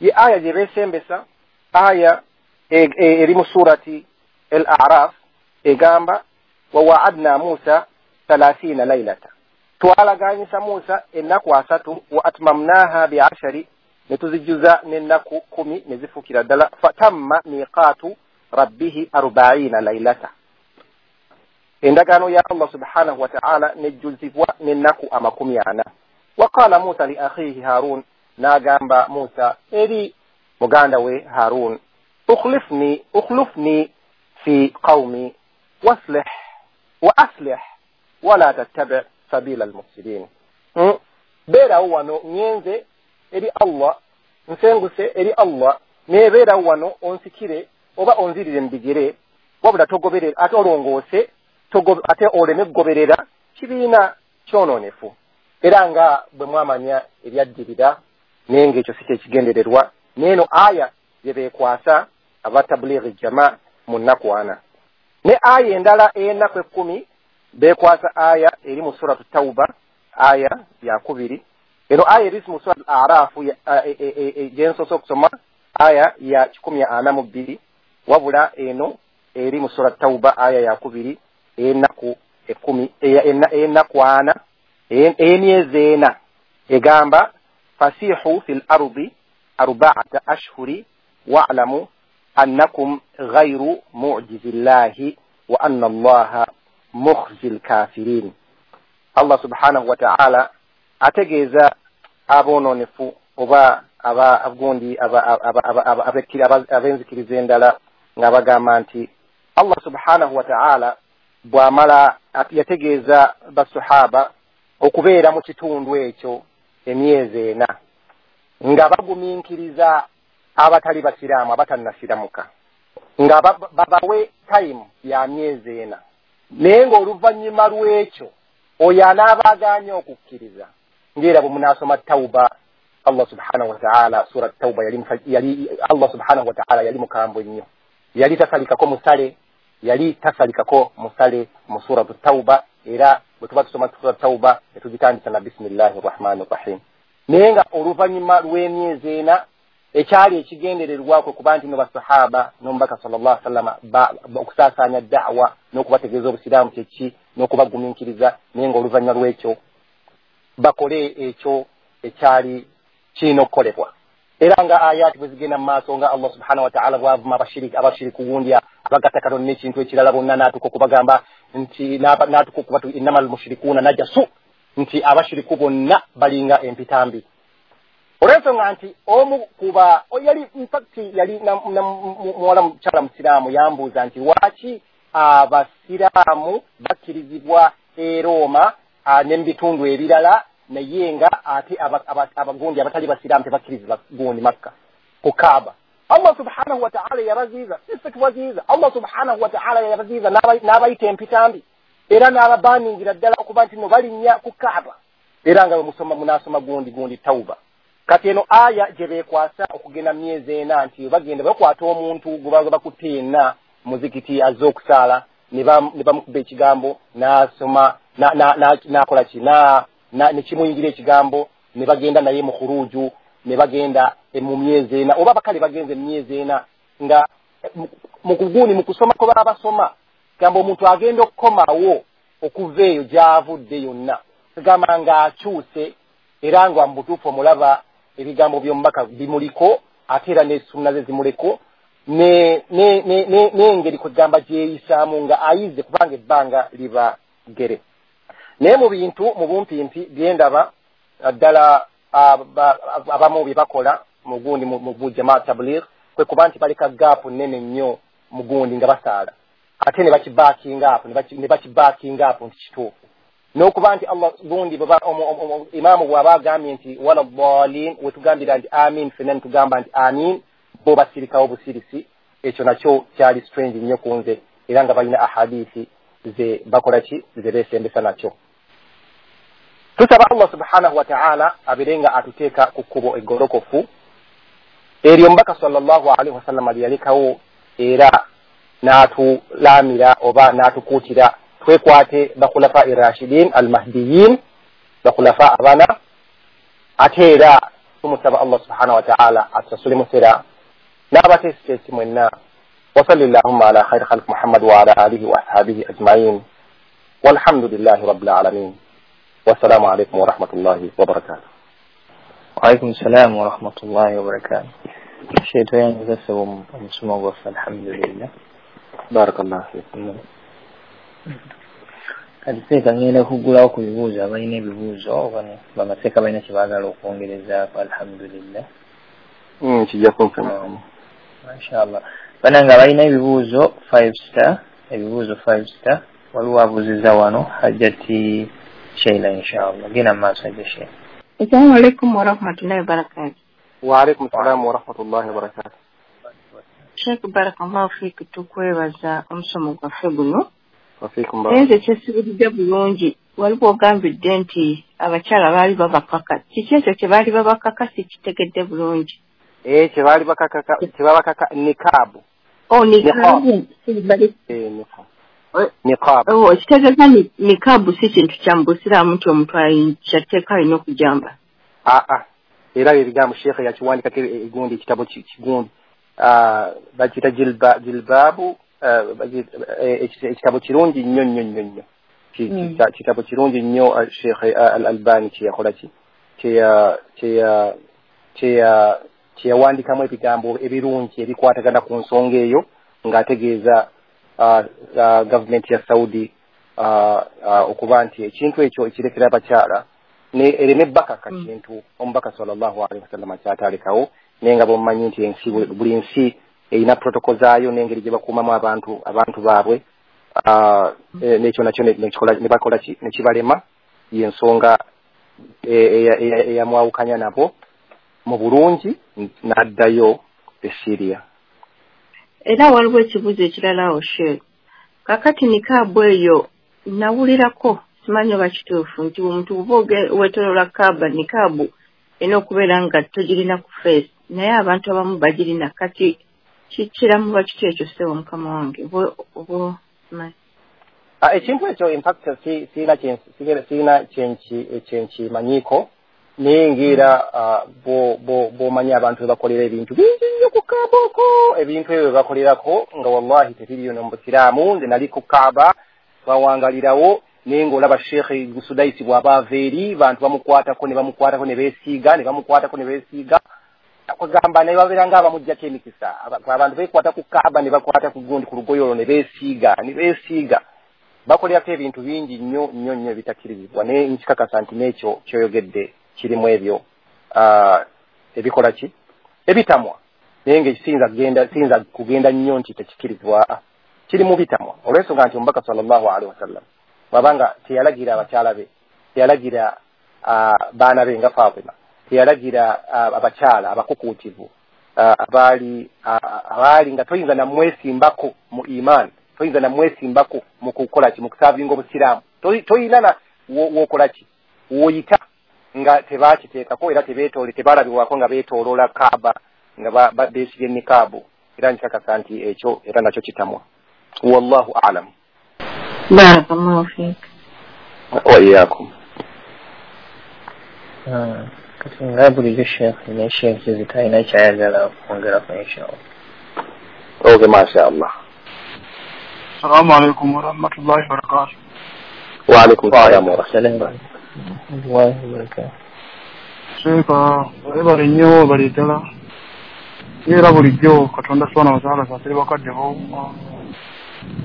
ye aya gye beesembesa, aya eri mu surati Al-A'raf, egamba wa wa'adna Musa thalathina laylata, twalaganyisa Musa ennaku asatu, wa atmamnaha bi'ashari, ne tuzijjuza n'ennaku kumi ne zifuukira ddala, fatamma miqatu rabbihi arba'ina laylata, endagaano ya Allah subhanahu wa ta'ala nejjuzibwa n'ennaku amakumi ana. Waqala Musa li akhihi Harun, n'agamba Musa eri muganda we Harun, ukhlifni ukhlufni fi qawmi waslih wa aslih wala tattabi sabila almufsidin. Beerawo wano nyenze eri Allah, nsenguse eri Allah, naye beerawo wano onsikire oba onzirire mu bigere, wabula togoberera ate olongoose, ate oleme kugoberera kibiina kyonoonefu. Era nga bwe mwamanya ebyaddirira, naye ng'ekyo si kyekigendererwa. N'eno aya gye beekwasa aba Tablighi Jama mu nnaku ana. Ne aya endala ey'ennaku ekkumi beekwasa aya eri mu Suratu Tauba, aya ya kubiri. Eno aya eri mu Suratu Arafu gye nsoose okusoma, aya ya kikumi ana mu bbiri, wabula eno eri mu Suratu Tauba aya ya kubiri ey'ennaku ekkumi, ey'ennaku ana, ey'emyezi ena, egamba fasihu fil ardi arba'ata ashhuri wa'lamu annakum ghayru mu'jizillahi wa anna Allaha mukhzil kafirin. Allah subhanahu wa ta'ala ategeeza aboononefu oba aba agundi ab'enzikiriza endala nga bagamba nti Allah subhanahu wa ta'ala bw'amala yategeeza basahaba okubeera mu kitundu ekyo emyezi ena nga bagumiikiriza abatali basiraamu abatannasiramuka, nga babawe time ya myezi ena, naye ng'oluvannyuma lw'ekyo oyo anaaba agaanye okukkiriza. Ng'era bwe munaasoma Tauba, Allah subhanahu wa ta'ala, Sura Tauba yali, yali Allah subhanahu wa ta'ala yali mukambwe nnyo, yali tasalikako musale, yali tasalikako musale mu Suratu Tauba. Era bwe tuba tusoma Sura Tauba tetugitandisa na bismillahi rahmani rahim. Naye nga oluvannyuma lw'emyezi ena ekyali ekigendererwako kuba nti no basahaba n'omubaka sallallahu alaihi wasallam okusaasaanya da'wa n'okubategeeza obusiraamu kyeki n'okubagumiikiriza, naye nga oluvannyuma lw'ekyo bakole ekyo ekyali kirina okukolebwa. Era nga ayaati bwe zigenda mu maaso nga Allah subhanahu wa ta'ala bw'avuma abashiriki abashiriku gundi abagatta Katonda n'ekintu ekirala bonna, n'atuuka okubagamba nti n'atuuka okubatu innamal mushrikuuna najasu, nti abashiriku bonna balinga empitambi. Olw'ensonga nti omu kuba yali infact yali muwala mukyala musiraamu yambuuza nti lwaki abasiraamu bakkirizibwa e Roma ne mu bitundu ebirala, naye nga ate abagundi abatali basiraamu tebakkirizibwa gundi Makka ku Kaaba. Allah subhanahu wa ta'ala yabaziiza, siffe tubaziiza. Allah subhanahu wa ta'ala yabaziiza n'abayita empitambi era n'ababaningira ddala okuba nti no balinnya ku Kaaba. Era nga bwe musoma munaasoma gundi gundi Tauba. Kati eno aya gye beekwasa okugenda myezi ena nti bagenda bakwata omuntu gwe baza bakutte yenna muzikiti azze okusaala ne bamukuba ekigambo n'asoma n'akola ki ne kimuyingira ekigambo ne bagenda naye mu khuruju ne bagenda mu myezi ena, oba bakale bagenze mu myezi ena nga mu kugundi mu kusoma ko babasoma gamba omuntu agenda okukomawo okuva eyo gy'avudde yonna gamba ng'akyuse, era nga mu butuufu omulaba ebigambo by'omubaka bimuliko ate era n'essunna ze zimuleko n'engeri kwegamba gyeyisaamu nga ayize kubanga ebbanga liba ggere. Naye mu bintu mu bumpimpi byendaba ddala abamu bye bakola mu gundi mu Jamaa Tabligh kwe kuba nti baleka gaapu nnene nnyo mu gundi nga basaala, ate ne bakibackinga up ne bakibackinga up nti kituufu. N'okuba nti Allah gundi imaamu bw'aba agambye nti wala dhalin, wetugambira nti amin ffenna ne tugamba nti amin, bo basirikawo busirisi. Ekyo nakyo kyali strange nnyo ku nze, era nga balina ahadithi ze bakola ki ze beesembesa nakyo. Tusaba Allah subhanahu wa ta'ala abeere nga atuteeka ku kkubo eggolokofu eryo omubaka sallallahu alaihi wasallam lyeyalekawo, era n'atulamira oba n'atukuutira twekwate bakhulafa irashidin almahdiyin, bakhulafa abana. Ate era tumusaba Allah subhanahu wa ta'ala atusasule musera n'abateesiteesi mwenna. Wasalli llahumma ala khayri khalqi Muhammad wa ala alihi wa ashabihi ajmain, walhamdulillahi rabbil alamin. Wassalamu alaikum warahmatullahi wabarakatuh. Waalaikum salam warahmatullahi wabarakatuh. Sheikh tweyanziza ssebo omusomo gwaffe, alhamdulillah. Barakallahu fiikum. Kati seeka ngenda kuggulawo ku bibuuzo, abalina ebibuuzo oba bamaseeka balina kye baagala okwongerezaako, alhamdulillah. Kijja kunfuna mashallah. Bannange abalina ebibuuzo five star, ebibuuzo five star, waliwo abuuzizza wano Hajjati Sheila, inshallah. Genda mu maaso Hajja Sheila. Assalamu alaikum warahmatullahi wabarakatuh. Wa alaikum salam warahmatullahi wabarakatuh. Sheikh barakallahu fiik, tukwebaza omusomo gwaffe guno. Wafiikum Nze kyesibulidde bulungi Waliwo ogambidde nti abakyala baali babakaka. Kiki ekyo kye baali babakaka sikitegedde bulungi? Eh, kye baali bakakaka, kye babakaka nikaabu. Oh, nikaabu. Eh, nikaabu. Nikaabu. Oh, kitegeeza nikaabu si kintu kya mu busiraamu nti omuntu kyatteeka alina okujamba. Ah ah. Era ebigambo Sheikh yakiwandikako egundi ekitabo kigundi. Ah, bakiyita jilba jilbaabu, ekitabo kirungi nnyo nnyo nnyo nnyo. Kitabo kirungi nnyo Sheikh Al-Albani kye yakola ki kye kye kye kyeyawandikamu ebigambo ebirungi ebikwatagana ku nsonga eyo ng'ategeeza gavumenti ya Saudi okuba nti ekintu ekyo ekirekera abakyala ne ereme bakaka kintu omubaka sallallahu alaihi wasallam kyatalekawo, naye nga bw'omumanyi nti ensi buli nsi erina protocol zaayo n'engeri gye bakuumamu abantu abantu baabwe, n'ekyo nakyo ne bakola ki ne kibalema, y'ensonga eyamwawukanya nabo mu bulungi n'addayo e Syria. Era waliwo ekibuuzo ekirala awo Sheikh. Kaakati nikaabu eyo nawulirako, simanyi oba kituufu, nti omuntu bw'oba weetooloola Kaaba nikaabu erina okubeera nga togirina ku face, naye abantu abamu bagirina. Kati kikiramu bakitya ekyo ssebo mukama wange? Oba ekintu ekyo in fact sirina kyenkimanyiiko, naye ng'era bw'omanyi abantu be bakolera ebintu bingi nnyo ku Kaaba okwo, ebintu ebyo bye bakolerako nga wallahi tebiriyo ne mu busiraamu. Nze nali ku Kaaba twawangalirawo, naye ng'olaba Sheikh Sudaisi bw'aba ava eri bantu bamukwatako ne bamukwatako ne beesiiga ne bamukwatako ne beesiiga, kugamba naye babeera nga abamuggyako emikisa. Abantu beekwata ku Kaaba ne bakwata ku gundi ku lugoye olwo ne beesiiga ne beesiiga, bakolerako ebintu bingi nnyo nnyo nnyo ebitakkirizibwa. Naye nkikakasa nti n'ekyo kyoyogedde kirimu ebyo ebikola ki ebitamwa, naye nga siyinza kugenda siyinza kugenda nnyo nti tekikkirizibwa, kirimu bitamwa olw'ensonga nti omubaka sallallahu alaihi wasallam bw'abanga teyalagira abakyala be, teyalagira baana be nga Fatima, teyalagira abakyala abakukuutivu abaali abaali nga toyinza namwesimbako mu iman, toyinza namwesimbako mu kukola ki mu kusaavinga obusiraamu, toyina na w'okola ki w'oyita nga tebakiteekako era tebeetoole tebalabibwako nga beetooloola Kaaba nga beesibye nikaabu. Era nkikakasa nti ekyo era nakyo kitamwa. Wallahu a'lam. Barakallahu fiik. Wa iyyakum. Kati nga bulijjo Sheikh ne Sheikh Kizito alina ky'ayagala okwongerako inshallah. Okay, masha Allah. Assalamu alaikum warahmatullahi wabarakatuh. Wa alaikum salam wa rahmatullahi wabarakatuh. Sheikh, webale nnyo bali ddala. Era bulijjo Katonda subhanahu wa ta'ala asaasire bakadde bo.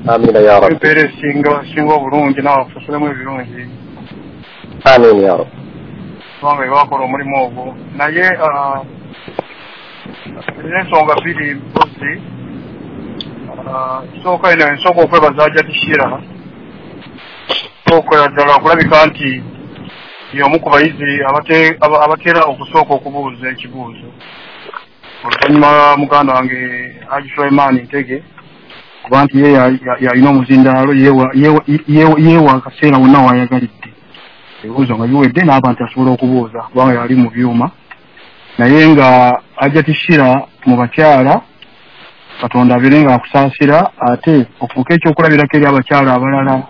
Amina ya Rabbi. Empeera esinga esinga obulungi naawe akusasulemu ebirungi. Amina ya Rabbi. Kubanga bakola omulimu ogwo. Naye ensonga bbiri mpozi. Ekisooka eno ensooka okwebaza Hajjati Shira. Okwera ddala okulabika nti y'omu ku bayizi abatera okusooka okubuuza ekibuuzo. Oluvannyuma muganda wange Haji Sulaiman Ntege, kuba nti ye yalina omuzindaalo, yeewa akaseera wonna w'ayagalidde. Ebibuuzo nga biwedde n'abantu asobola okubuuza kubanga yali mu byuma. Naye nga Hajjati Shira mu bakyala, Katonda abeere nga akusaasira ate ofuuke ekyokulabirako eri abakyala abalala,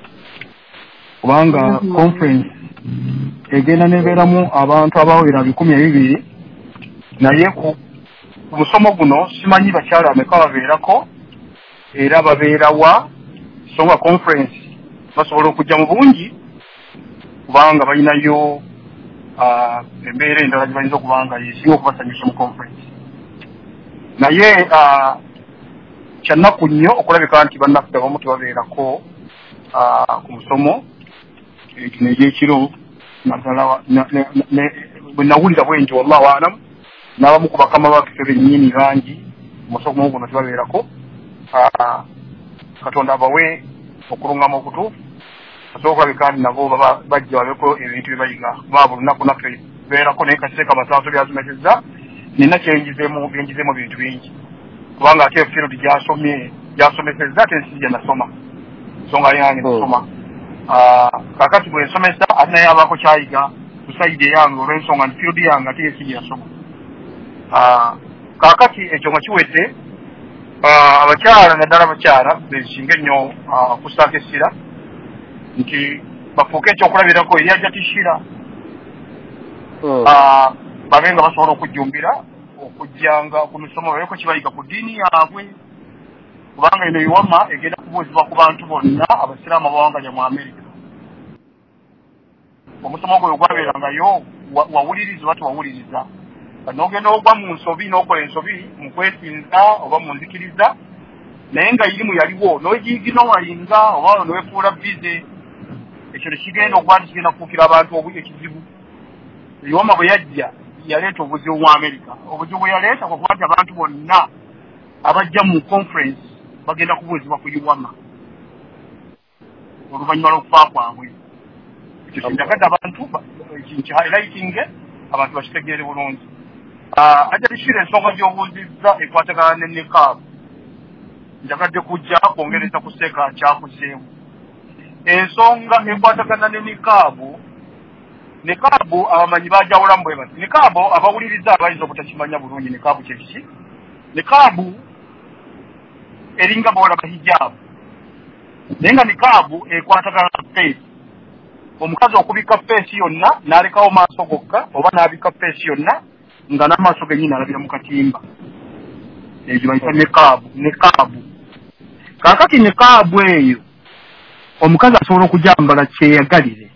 kubanga conference egenda nebeeramu abantu abawera bikumi ebibiri, naye ku musomo guno simanyi bakyala bameka babeerako era babeerawa, so nga conference basobola okujja mu bungi kubanga balinayo embeera endala gye bayinza okuba nga yesinga okubasanyusa mu conference. Naye kyannaku nnyo okulabika nti bannaffe abamu tebabeerako ku musomo gino egy'ekiro, naddala bwe nawulira bwe nti wallahu a'lam n'abamu ku bakama baffe bennyini bangi musomo guno tebabeerako. Katonda abawe okulungama okutuufu, basobola okulabika nti nabo bajja babeko ebintu bye bayiga, kuba buli lunaku naffe tubeerako, naye kaseera kamasaaso byasomesezza nina kyenjizeemu byenjizeemu bintu bingi, kubanga ate field gy'asomye gy'asomesezza ate nsi gye nasoma, so nga yange nasoma. Kakati bwe nsomesa ate naye abaako kyayiga ku sayidi eyange olw'ensonga nti field yange ate ye si gye yasoma. Kaakati ekyo nga kiwedde, abakyala naddala abakyala bensinga ennyo okussaako essira nti bafuuke ekyokulabirako eri Hajjati Shira, babe nga basobola okujjumbira okujjanga ku misomo babeeko kye bayiga ku ddiini yaabwe, kubanga eno iwama egenda kubuuzibwa ku bantu bonna abasiraamu abawangalya mu Amerika. Omusomo gwe gwabeerangayo wawuliriza oba tewawuliriza, n'ogenda ogwa mu nsobi n'okola ensobi mu kwesinza oba mu nzikiriza, naye nga irimu yaliwo n'ogiiginowalinga oba neweefuula bize, ekyo tekigenda okuba nti kigenda kufuukira abantu ekizibu. Iwama bwe yajja yaleeta obuzibu mu Amerika. Obuzibu bwe yaleeta kwe kuba nti abantu bonna abajja mu conference bagenda kubuuzibwa ku iwama oluvannyuma lw'okufa kwabwe. Ekyo kinjagadde abantu nki highlighting abantu bakitegeere bulungi. Hajjati Shira, ensonga gy'obuuzizza ekwatagana ne nikaabu, njagadde kujja kwongereza kuseeka kyakuzeemu. Ensonga ekwatagana ne nikaabu, nikaabu abamanyi bajawulamu bwe bati. Nikaabu abawuliriza abayinza obutakimanya bulungi nikaabu kye kiki. Nikaabu eringa bw'olaba hijaabu, naye nga nikaabu ekwatagana na face. Omukazi okubikka face yonna n'alekawo maaso gokka oba n'abikka face yonna nga n'amaaso gennyini alabira mu katimba, egyo bayita nikaabu. Nikaabu kaakati nikaabu eyo omukazi asobola okugyambala kyeyagalire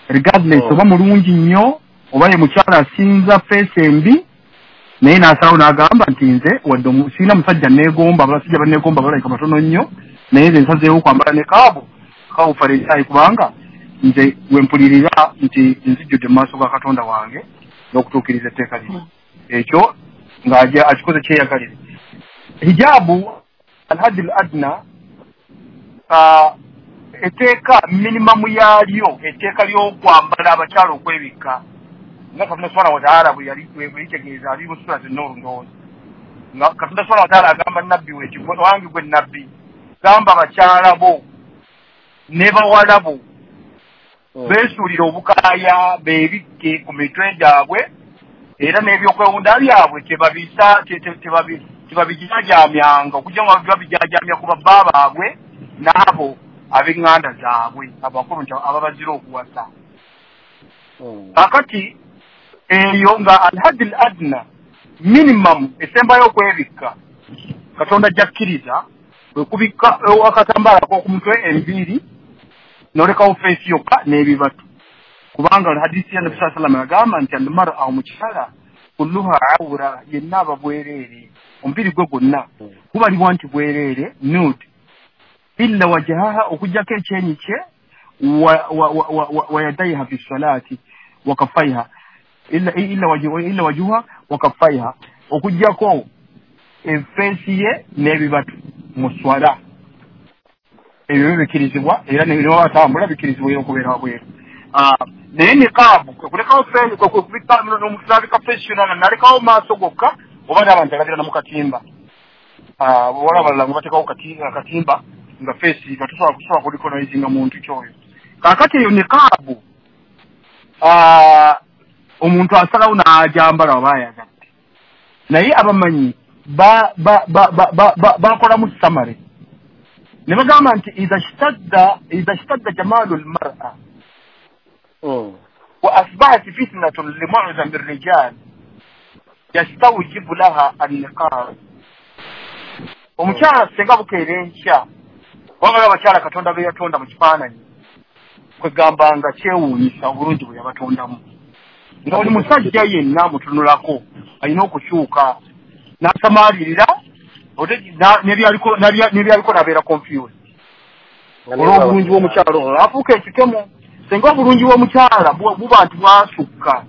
regardless oba mulungi nnyo oba ye mukyala asinza face embi, naye n'asalawo n'agamba nti nze wadde sirina musajja neegomba, abasajja banneegomba balabika batono nnyo, naye nze nsazeewo kwambala nikaabu kawufa kubanga nze we mpulirira nti nzijjudde mu maaso ga Katonda wange n'okutuukiriza etteeka lino. Ekyo ng'aja akikoze kyeyagalire. Hijaabu alhaddi al adna, etteeka minimamu yaalyo, etteeka ly'okwambala abakyala okwebikka nga Katonda subhanahu wa ta'ala bwe yali bwe yitegeeza ali mu sura An-Nur ndowooza, nga Katonda subhanahu wa ta'ala agamba nabbi we nti wange gwe nabbi, gamba abakyala bo ne bawala bo beesuulire obukaaya beebikke ku mitwe gyabwe era n'ebyokwewunda byabwe tebabisa tebabijaajamyanga okujja nga babijaajamya ku babba baabwe n'abo ab'eŋŋanda zaabwe abakulu nti ababazira okuwasa. Kaakati eyo nga alhaddi al adna minimum esembayo okwebikka Katonda ajja kkiriza kwe kubikka akatambaala ak'oku mutwe, enviiri, n'olekawo face yokka n'ebibatu, kubanga hadisi ya Nabbi sallallahu alayhi wasallam yagamba nti almar'a, omukyala, kulluha awra, yenna aba bwereere, omubiri gwe gwonna gubalibwa nti bwereere, nude, illa wajahaha, okuggyako ekyenyi kye, wa yadaiha fi salati wa kaffaiha, illa illa wajuha wa kaffaiha, okuggyako efeesi ye n'ebibatu mu swala. Ebyo bikirizibwa era ne batambula bikirizibwa era okubeera wabweru. Naye nikaabu kulekawo n'omutabika face yonna nalekawo maaso gokka oba n'abantu alabira mu katimba, wala abalala nga bateekawo akatimba nga face nga tosobola kusobola kurecognizinga muntu kyoyo. Kaakati eyo nikaabu omuntu asalawo n'agyambala oba ayagadde, naye abamanyi bakolamu summary ne bagamba nti idha ishtadda idha ishtadda jamalu almar'a wa asbahat fitnatun limu'zam ar-rijal yastawjibu laha an-niqab. Omukyala singa bukeera enkya, kubanga abakyala Katonda be yatonda mu kifaananyi kwegamba nga kyewuunyisa obulungi bwe yabatondamu, nga buli musajja yenna amutunulako alina okukyuka n'asamaalirira n'ebyaliko n'abeera confused olw'obulungi bw'omukyala ono afuuka ekikemo. Singa obulungi bw'omukyala buba nti bwasukka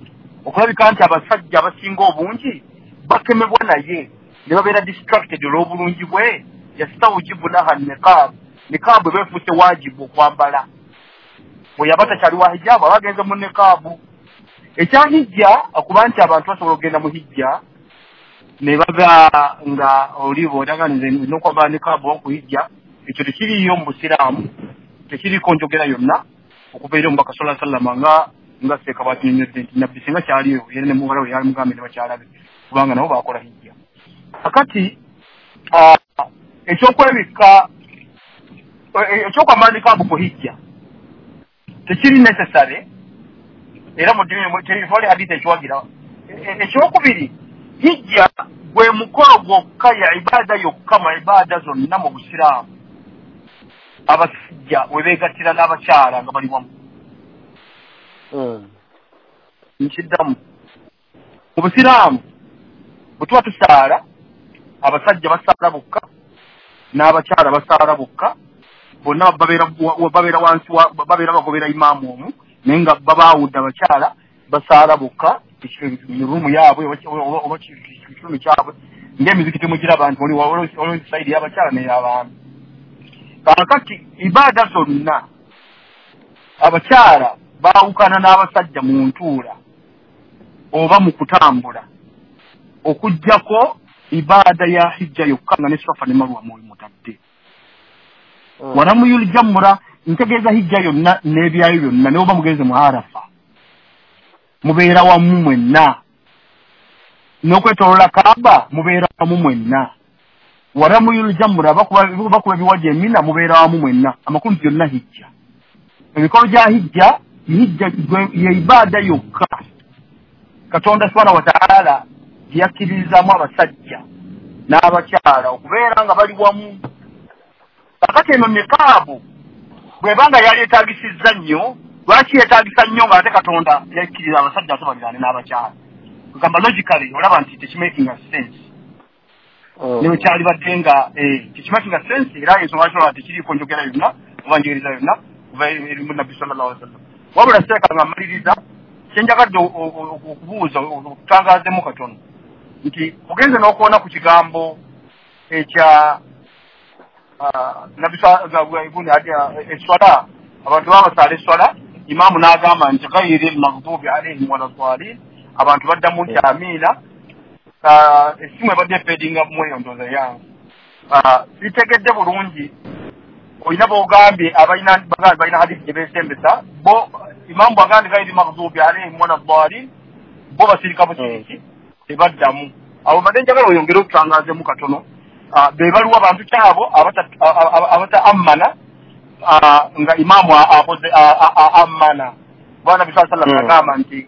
okulabika nti abasajja abasinga obungi bakemebwa naye ne babeera distracted olw'obulungi bwe, yastawjibu laha niqab, niqab beefuuse waajibu okwambala. Bwe yaba takyali wa hijaabu aba agenze mu niqaabu. Ekya hijja okuba nti abantu basobola okugenda mu hijja ne baba nga olibo odaga nze n'okwambala niqaabu okuhijja, ekyo tekiriiyo mu busiraamu. Tekiriko njogera yonna okuva eri omubaka sallallahu alaihi wasallam nga nga seeka bwakinyonnyodde nti nabbi singa kyaliyo era ne muwala we yali mugambe ne bakyala be, kubanga nabo bakola hijja. Kakati ekyokwebikka, ekyokwambala nikaabu ku hijja tekiri necessary, era mu ddiini tewali hadithi ekiwagira. Ekyokubiri, hijja gwe mukolo gwokka ya ibaada yokka mu ibaada zonna mu Busiraamu abasajja we beegattira n'abakyala nga bali wamu. Nkiddamu, mu Busiraamu bwe tuba tusaala, abasajja basaala bokka n'abakyala basaala bokka, bonna babeera wansi, babeera bagobera imaamu omu, naye nga babaawudde. Abakyala basaala bokka mu ruumu yaabwe oba kitundu kyabwe, ng'emizikiti mugiraba nti waliwo sayidi y'abakyala n'ey'abaami. Kaakati ibaada zonna abakyala baawukana n'abasajja mu ntuula oba mu kutambula, okuggyako ibaada ya hijja yokka nga ne Safa ne Marwa mutadde. Waramuyul jamura, ntegeeza hijja yonna n'ebyayo byonna, ne oba mugenze mu Arafa mubeera wamu mwenna, n'okwetoolola Kaaba mubeera wamu mwenna, waramuyul jamura bakuba ebiwaji emina mubeera wamu mwenna. Amakulu byonna hijja, emikolo gya hijja, hijja ye ibaada yokka Katonda subhanahu wa ta'ala gye yakkiririzaamu abasajja n'abakyala okubeera nga bali wamu. Kakati eno nikaabu bw'ebanga yali etaagisizza nnyo, lwaki yeetaagisa nnyo ng'ate Katonda yakkiriza abasajja ate baliraane n'abakyala? Kugamba logically olaba nti tekimakinga sense. Ne bwe kyalibadde nga tekimakinga sense, era ensonga lwaki olaba tekiriiko njogera yonna oba njigiriza yonna kuva eri Nabbi sallallahu alaihi wasallam. Wabula seeka nga mmaliriza, kyenjagadde okubuuza okutangaazemu katono nti ogenze n'okuwona ku kigambo ekya Nabbi eswala, abantu babasaala eswala, imaamu n'agamba nti ghairi lmaghdubi alaihim wala dhalin, abantu baddamu nti amiina. Essimu ebadde efeedinga mu eyo ndowooza yange. Sitegedde bulungi, olina b'ogambye abalina balina hadithi gye beesembesa bo, imaamu bw'agambye ghairi maghdubi alaihim wala dhalin, bo basirika busiriki tebaddamu. Abo mbadde njagala oyongere okutangaazemu katono, be baliwo abantu kyabo abata ammana nga imaamu akoze ammana. Bwana Nabbi sallallahu alaihi wasallam agamba nti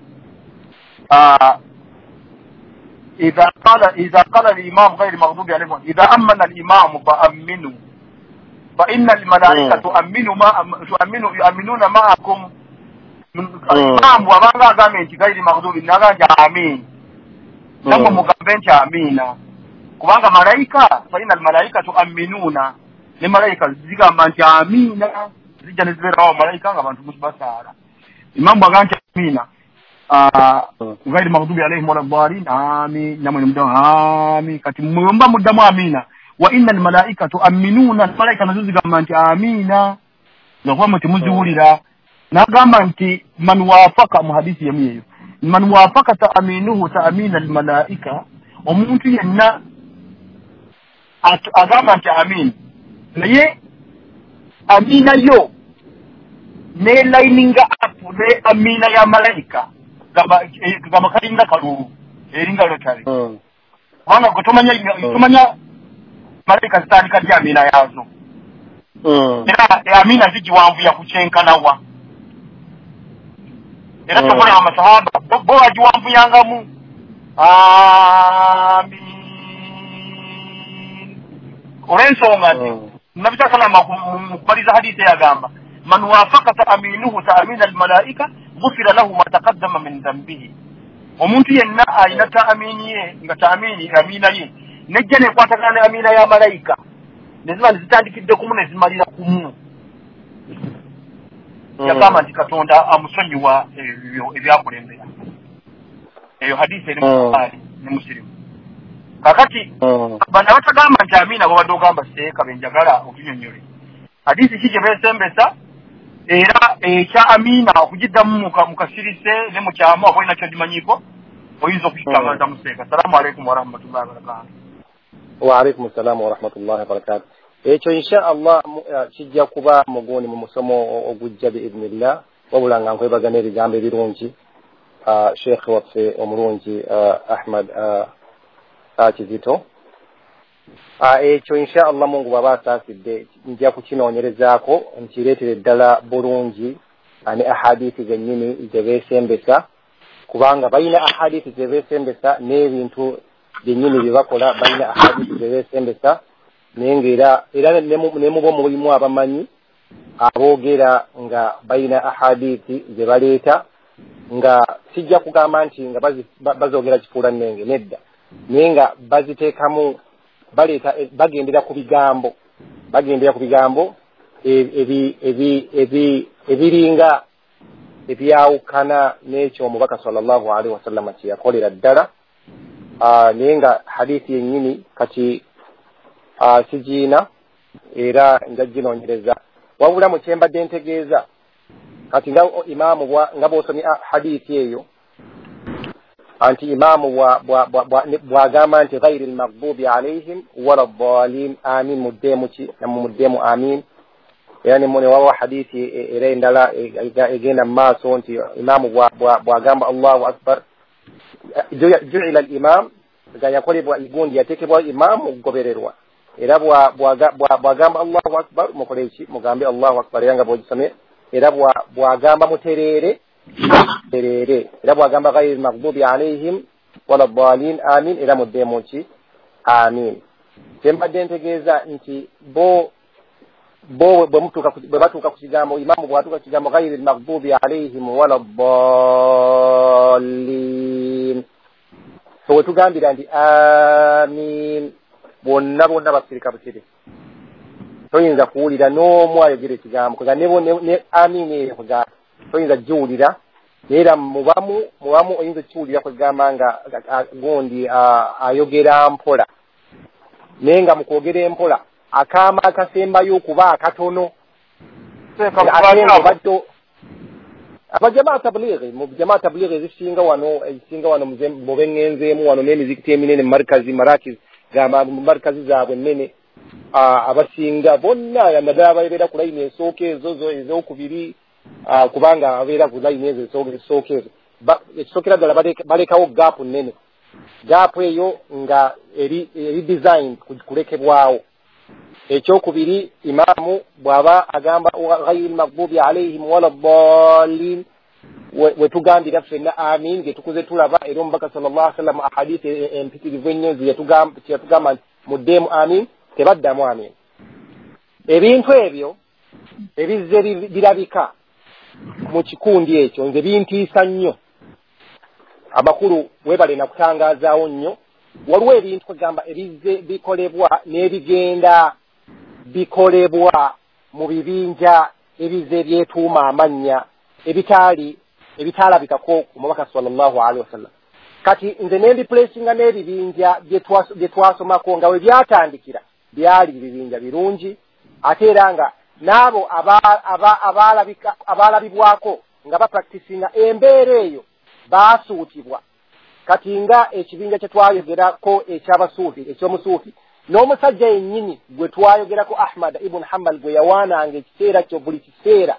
idha qala idha qala al-imam ghayr maghdubi alayhim, idha ammana al-imam fa aminu fa inna al-malaika tu'minu ma tu'minu yu'minuna ma'akum. Imam bw'abanga agambye nti ghayr maghdubi, n'agamba nti amin, nammwe mugambe nti amiina, kubanga malayika fa inna al-malaika tu'minuna, ne malayika zigamba nti amiina, zijja ne zibeerawo malayika nga abantu basaala. Imam bw'agamba nti amiina, ghairi maghdubi alaihim wala dhalin, amin, namwe nemuddamu amin. Kati mmwe mba muddamu amiina, wa inna almalaika tu'minuna, malayika nazo zigamba nti amiina, nga kuba mwe temuziwulira. N'agamba nti man wafaka, mu hadisi yemu eyo, man wafaka ta'minuhu ta'mina almalaika, omuntu yenna agamba nti amin, naye amina yo ne lininga up ne amina ya malayika, gamba kalinga kalulu eringa lotari, kubanga gwe tomanya tomanya malayika zitandika ddi amina yaazo, era amina zigiwanvuya ku kyenkanawa. Era tokola amasahaba bo bagiwanvuyangamu amin, olw'ensonga nti Nabbi sallallahu alayhi wasallam mu kubaliza hadithi yagamba man wafaka ta'minuhu ta'mina al-malaika ghufira lahu ma taqaddama min dhanbihi. Omuntu yenna alina ta'amini ye nga ta'amini amina ye nejja nekwatagana ne amina ya malayika, ne ziba zitandikidde kumu ne zimalira kumu, yagamba nti Katonda amusonyiwa ebyo ebyakulembera. Eyo hadithi eri mu Bukhari ne Muslim. Kakati bano abatagamba nti amiina babadde ogamba seeka benjagala otunyonnyole hadithi ki gye beesembesa, era ekya amiina okugiddamu mu kasirise ne mu kyama oba olina kyogimanyiiko oyinza okukitangaza mu seeka. Assalamu alaikum warahmatullahi wabarakatuh. Wa alaikum assalamu warahmatullahi wabarakatuh. Ekyo insha Allah kijja kuba mugundi mu musomo ogujja biidhnillah. Wabula nga nkwebaza n'ebigambo ebirungi Sheikh waffe omulungi Ahmad Kizito. Ekyo insha Allah Mungu bw'aba asaasidde nja kukinoonyerezaako nkireetere ddala bulungi ne ahadithi zennyini ze beesembesa, kubanga balina ahadithi ze beesembesa n'ebintu byennyini bye bakola balina ahadithi ze beesembesa, naye ng'era era ne mubo mulimu abamanyi aboogera nga balina ahadithi ze baleeta, nga sijja kugamba nti nga bazoogera kifuula nnenge, nedda, naye nga baziteekamu baleeta bagendera ku bigambo bagendera ku bigambo ebi ebi ebi ebiringa ebyawukana n'ekyo omubaka sallallahu alaihi wasallam kye yakolera ddala. Naye nga hadithi yennyini kati sigiina era nja ginoonyereza. Wabula mu kye mbadde ntegeeza kati nga imaamu nga bw'osomye hadithi eyo anti imaamu bw'agamba nti ghairi lmaghdubi alaihim wala ddalin amin, muddeemu ki nammwe muddeemu amin. Era ne wabawo hadithi era endala egenda mu maaso nti imaamu bw'agamba Allahu akbar, juila al-imam, nga yakolebwa gundi yateekebwawo imaamu okugobererwa, era bw'agamba Allahu akbar mukole ki, mugambe Allahu akbar, era nga bw'ogisomye. Era bw'agamba mutereere tereere, era bw'agamba ghairi lmaghdubi alaihim wala ddalin amin, era muddeemu ki amin. Kyembadde ntegeeza nti bo bo bwe batuuka ku kigambo imaamu bw'atuuka ku kigambo ghairi lmaghdubi alaihim wala ddalin, so we tugambira nti amin, bonna bonna basirika busiri, toyinza kuwulira n'omu ayogera ekigambo kwega ne amin eyo kwega toyinza giwulira, era mubamu mubamu oyinza okukiwulira kwegamba nga gundi ayogera mpola, naye nga mu kwogera empola akaama akasembayo okuba akatono. Abajamaa tablighi mu jamaa tablighi ezisinga wano ezisinga wano mu bengenzeemu wano n'emizikiti eminene markazi marakiz gamba markazi zaabwe ennene, abasinga bonna naddala ababeera ku layini esooka ezo zo ez'okubiri, kubanga ababeera ku layini ezo esooka ezo ekisookera ddala balekawo gaapu nnene, gaapu eyo nga eri eri design kulekebwawo. Ekyokubiri imaamu bw'aba agamba ghairi lmaghdubi alaihim wala ddalin, wetugambira ffenna amin ge tukuze tulaba, era omubaka sallallahu alaihi wasallam ahadithi empitirivu ennyo zeyatugamba nti muddeemu amin, tebaddamu amin. Ebintu ebyo ebizze birabika mu kikundi ekyo nze bintiisa nnyo. Amakulu weebale nakutangaazaawo nnyo, waliwo ebintu kwegamba ebizze bikolebwa n'ebigenda bikolebwa mu bibinja ebizze byetuuma amannya ebitaali ebitaalabikako omubaka sallallahu alaihi wasallam. Kati nze nembipulesinga n'ebibinja bye twasomako nga we byatandikira byali bibinja birungi, ate era nga n'abo abaalabibwako nga bapractisinga embeera eyo baasuutibwa. Kati nga ekibinja kye twayogerako eky'abasuufi eky'omusuufi n'omusajja yennyini gwe twayogerako Ahmad ibn Hanbal gwe yawaananga ekiseera kyo buli kiseera,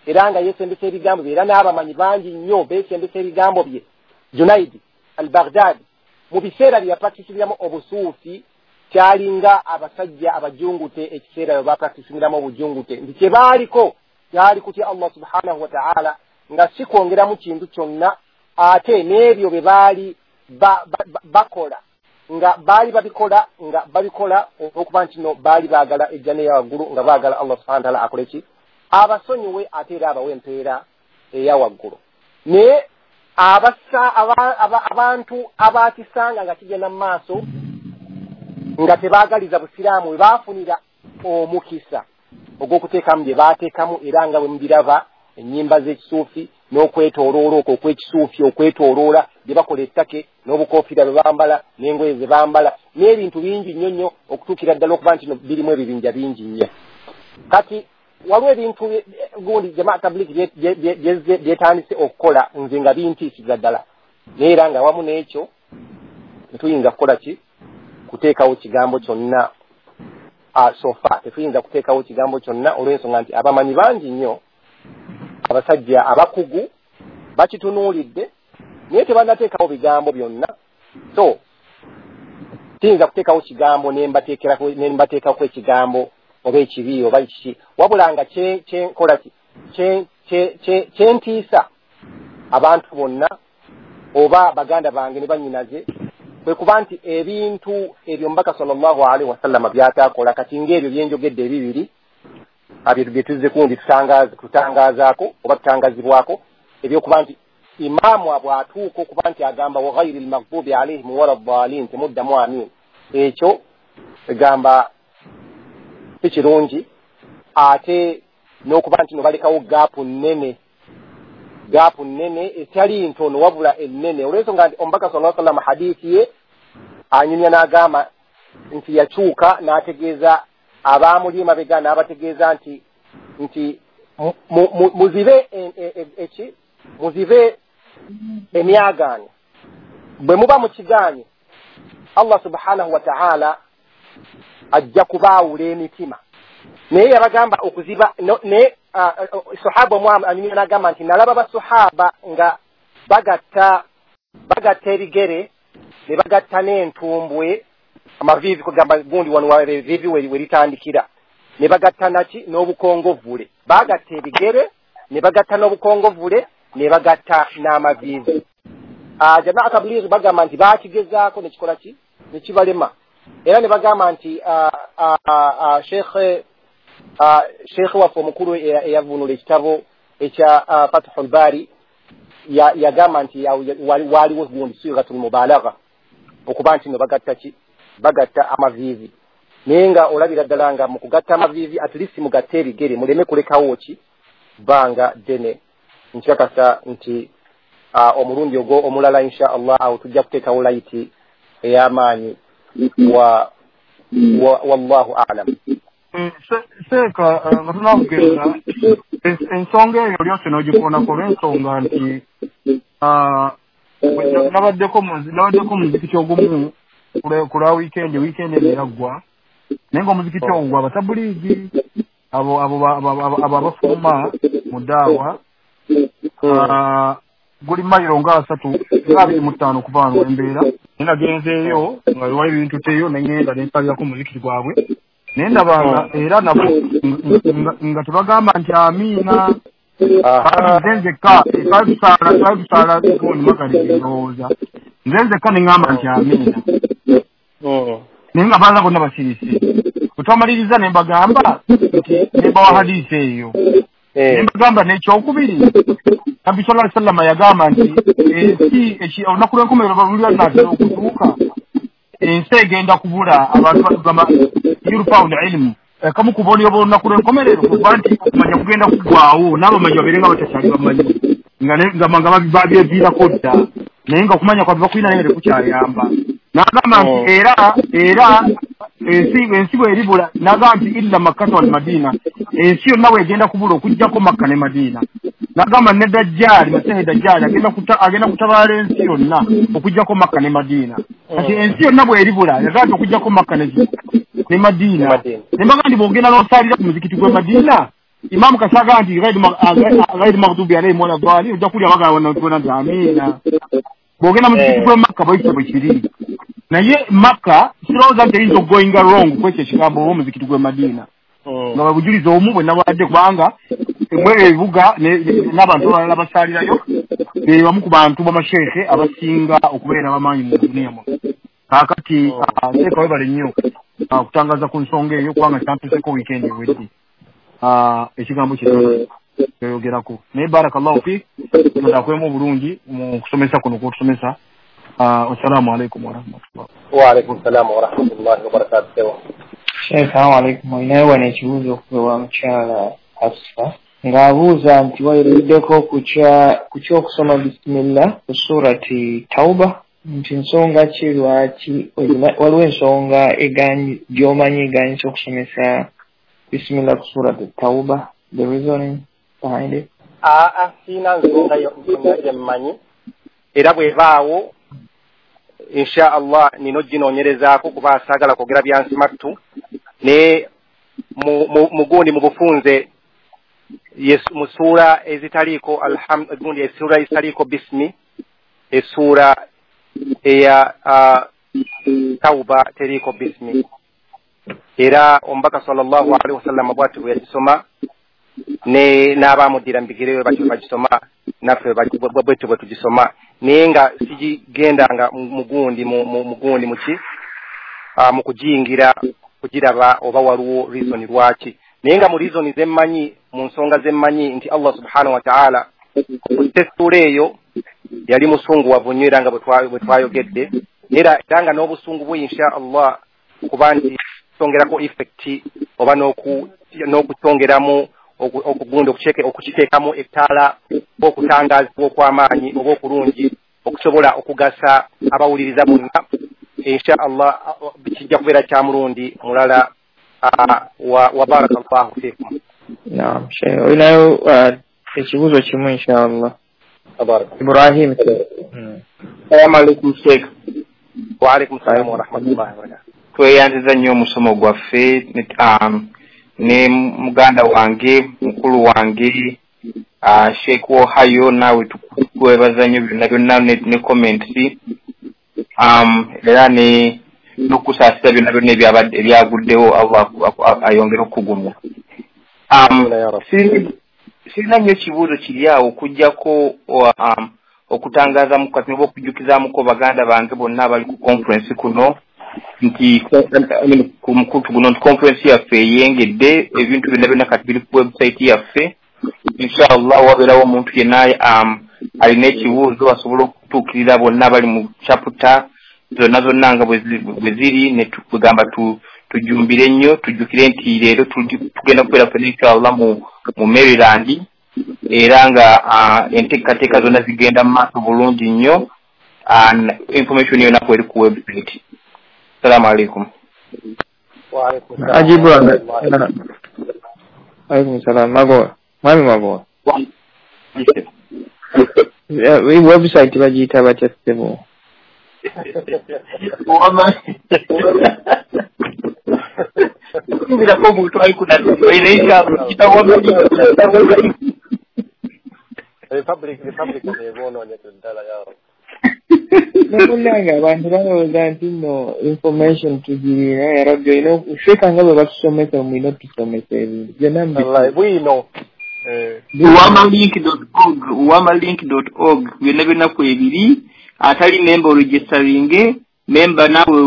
era nga yeesembesa ebigambo bye, era n'abamanyi bangi nnyo beesembesa ebigambo bye, Junaidi al-Baghdadi mu biseera bye yapractisingiramu obusuufi kyalinga abasajja abajungute ekiseera bwe bapractisingiramu obujungute, nti kye baaliko kyali kutya Allah subhanahu wa ta'ala nga si kwongeramu kintu kyonna, ate n'ebyo bye baali bakola nga baali babikola nga babikola olw'okuba nti no baali baagala ejjana eya waggulu, nga baagala Allah subhanahu wa ta'ala akole ki, abasonyiwe ate era abawe empeera eya waggulu. Naye abasa abantu abakisanga nga kigenda mu maaso nga tebaagaliza busiraamu we baafunira omukisa ogw'okuteekamu bye baateekamu, era nga bwe mubiraba ennyimba z'ekisuufi n'okwetooloola okwo okw'ekisuufi okwetooloola bye bakola ettake n'obukofiira bwe bambala n'engoye ze bambala n'ebintu bingi nnyo nnyo okutuukira ddala okuba nti birimu ebibinja bingi nnyo. Kati waliwo ebintu gundi jamaa tablighi byetandise okukola nze nga bintiisiza ddala, naye era nga wamu n'ekyo tetuyinza kukola ki, kuteekawo kigambo kyonna So far tetuyinza kuteekawo kigambo kyonna olw'ensonga nti abamanyi bangi nnyo, abasajja abakugu bakitunuulidde, naye tebannateekawo bigambo byonna. So tiyinza kuteekawo kigambo ne mbateekako ekigambo oba ekibi oba kiki, wabula nga kyenkola kyentiisa abantu bonna oba baganda bange ne bannyinaze kwe kuba nti ebintu ebyo Omubaka sallallahu alaihi wasallama by'ataakola. Kati ng'ebyo byenjogedde ebibiri bye tuzze kundi tutangaazaako oba tutangazibwako, ebyokuba nti imaamu bw'atuuka okuba nti agamba wa ghairi lmaghdubi alaihim wala ddaalin, temuddamu amiin, ekyo egamba si kirungi. Ate n'okuba nti no balekawo gaapu nnene, gaapu nnene etali ntono wabula ennene, olw'ensonga nti Omubaka sallallahu alaihi wasallam hadithi ye anyumya n'agamba nti yakyuka n'ategeeza abaamuli emabega n'abategeeza nti nti muzibe eki muzibe emyagaanya, bwe muba mukigaanye Allah subhanahu wa ta'ala ajja kubaawula emitima. Naye yabagamba okuziba, naye sahaba omu anyumya n'agamba nti nalaba basahaba nga bagatta bagatta ebigere ne bagatta n'entumbwe, amaviivi kugamba gundi wano eviivi we litandikira, ne bagatta naki n'obukongovvule, bagatta ebigere ne bagatta n'obukongovvule ne bagatta n'amaviivi. Jamaa tablighi bagamba nti baakigezaako ne kikola ki ne kibalema, era ne bagamba nti Sheikh Sheikh waffe omukulu eyavvuunula ekitabo ekya Fathul Bari yagamba nti waliwo gundi sighatul mubalagha, okuba nti no bagatta ki bagatta amaviivi. Naye nga olabira ddala nga mu kugatta amaviivi at least mugatte ebigere, muleme kulekawo ki bbanga ddene. Nkakasa nti omulundi ogwo omulala insha Allah awo tujja kuteekawo layiti ey'amaanyi, wa wallahu a'lam. Seeka nga tunakugenda ensonga eyo lyose n'ogikoonako olw'ensonga nti nabaddeko muzikiti ogumu ku lwa wiikendi, wiikendi eno yaggwa, naye ng'omuzikiti ogwo gwa batabuliigi abo abo abafuluma mu ddaawa, guli mayiro nga asatu nga abiri mu ttaano okuva wano wembeera. Naye nagenzeeyo nga wali ebintu teyo ne ŋŋenda ne nsalirako omuzikiti gwabwe, naye ndaba era nabo nga tebagamba nti amiina. Nze nzekka twali tusaala twali tusaala gundi magharibi ndowooza, nze nzekka ne ŋŋamba nti amiina, naye nga balala bonna basirise. Bwe twamaliriza ne mbagamba nti ne mbawa hadiisi eyo, ne mbagamba n'ekyokubiri Nabbi sallallahu alaihi wasallam yagamba nti ensi olunaku lw'enkomerero luli lunaatera okutuuka, ensi egenda kubula abantu batugamba yurfaul ilmu, kamu ku bubonero bw'olunaku lw'enkomerero kuba nti okumanya kugenda kuggwaawo n'abamanyi babeere nga batakyali bamanyi, nga babyeviirako dda, naye nga okumanya kwabwe bakulina naye nga tekukyayamba. N'agamba nti era era ensi ensi bw'eribula, n'agamba nti illa Makkata wal Madiina, ensi yonna bw'egenda kubula okuggyako Makka ne Madiina. N'agamba ne Dajjaali, Masihi Dajjaali agenda agenda kutabaala ensi yonna okuggyako Makka ne Madiina. Kati ensi yonna bw'eribula yagamba nti okuggyako Makka ne ne Madiina. Ne mbagamba nti bw'ogenda n'osaalira ku muzikiti gw'e Madiina, Imaamu Kasaga nti ghairi maghdubi alaihim wala ddaalin, ojja kulya bagamba nti amiina. Bw'ogenda mu muzikiti gw'e Makka bwekityo bwe kiri. Naye Makka sirowooza nti eyinza okugoinga wrong kwekyo ekigambo oba omuzikiti gw'e Madiina, nga bwe bujulizi omu bwe nabadde, kubanga mwebyo ebibuga n'abantu abalala basaalirayo be bamu ku bantu b'amasheekhe abasinga okubeera abamaanyi mu duniya muno. Kaakati Seeka webale nnyo okutangaza ku nsonga eyo, kubanga kyampiseko wiikendi ewedde ekigambo kino kyoyogerako. Naye barakallahu fiik, Katonda akwemu obulungi mu kusomesa kuno kw'otusomesa. Wassalamu alaikum warahmatullah. Wa alaikum salaam warahmatullahi wabarakatuh. Sheikh, assalamu alaikum. Olinayo wano ekibuuzo okuva wa mukyala Hafsa ng'abuuza nti wayogeddeko ku ky'okusoma bisimillah ku surati Tauba, nti nsonga ki lwaki waliwo ensonga gy'omanyi eganyisa okusomesa bisimillah ku surati Tauba, the reasoning behind it? Aa, siina nsonga yonna gye mmanyi, era bw'ebaawo insha Allah nina oginoonyerezaako kuba saagala kwogera byansimattu, Naye mugundi mu bufunze mu ssuula ezitaliiko gundi essuula ezitaliiko bismi, essuula eya Tauba teriiko bismi. Era omubaka sallallahu alaihi wasallam bw'atyo bwe yagisoma ne n'abaamuddira mu bigere batyo bagisoma, naffe bwetyo bwe tugisoma. Naye nga sigigendanga mugundi mugundi muki mu kugiyingira kugiraba oba waliwo reason lwaki. Naye nga mu reason zemmanyi, mu nsonga zemmanyi nti Allah subhanahu wa ta'ala essuula eyo yali musunguwavu nnyo, era nga bwe twayogedde, era era nga n'obusungu bwe insha Allah kuba nti kyongerako effect oba n'okukyongeramu okugunda okukiteekamu ettaala okutangaazibwa okw'amaanyi oba okulungi okusobola okugasa abawuliriza bonna. Insha Allah kijja kubeera kya mulundi mulala. Wa barakallahu fiikum. Naam, Sheikh, olinayo ekibuuzo kimu insha Allah. Ibrahim. Assalamu alaikum Sheikh. Wa alaikum salaam wa rahmatullahi wa barakatuh. Tweyanziza nnyo omusomo gwaffe ne muganda wange, mukulu wange Sheikh Ohio, naawe tukwebaza nnyo byonna byonna ne comments, era ne n'okusaasira byonna byonna ebyaguddewo, Allah ayongere okugumya. Sirina nnyo kibuuzo kiri awo okuggyako okutangaazamu kati oba okujjukizaamuko baganda bange bonna abali ku conference kuno nti ku mukutu guno nti conference yaffe eyengedde, ebintu byonna byonna kati biri ku website yaffe. Inshallah wabeerawo omuntu yenna alina ekibuuzo asobola okutuukirira bonna abali mu chapter zonna zonna nga bwe ziri, ne tugamba tujumbire nnyo, tujjukire nti leero tugenda kubeera ffenna inshallah mu Maryland, era nga enteekateeka zonna zigenda mu maaso bulungi nnyo. Information yonna kweri ku website. Assalamu alaikum. Wa alaikum salam. Ajibu. Alaikum salam. Magowa. Mwami Magowa. Website bagiyita batya ssebo? Kubirako omuntu ali Republic Republic ebonoonyeza ddala yawo. Munnange abantu balowooza nti nno information tugirina, ya Rabbi olina ofeeka nga bwe batusomesa, mulina otusomesa ebintu byonna bwino. uwamalink dot org, uwamalink dot org byonna byonna kwebiri. Atali memba oregisteringe, memba naawe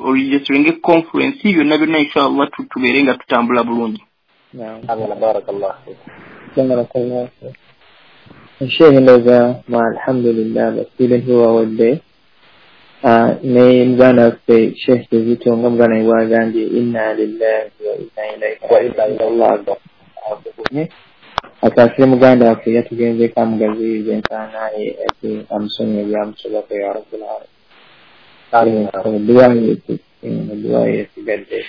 oregisteringe conference byonna byonna inshallah tubeere nga tutambula bulungi. Amina, barakallahu fiik. Sheikh ndowooza alhamdulillah bastudent bo bawadde ne muganda waffe Sheikh Kizito nga muganda we bw'agambye inna lillahi wa inna ilaihi raji'un. Asaasire muganda waffe yatugenzeeko amugaziyiriza entaana ye ate amusonyiwe ebyamusobako ya rabbil alamin. Edduwa ye esigadde.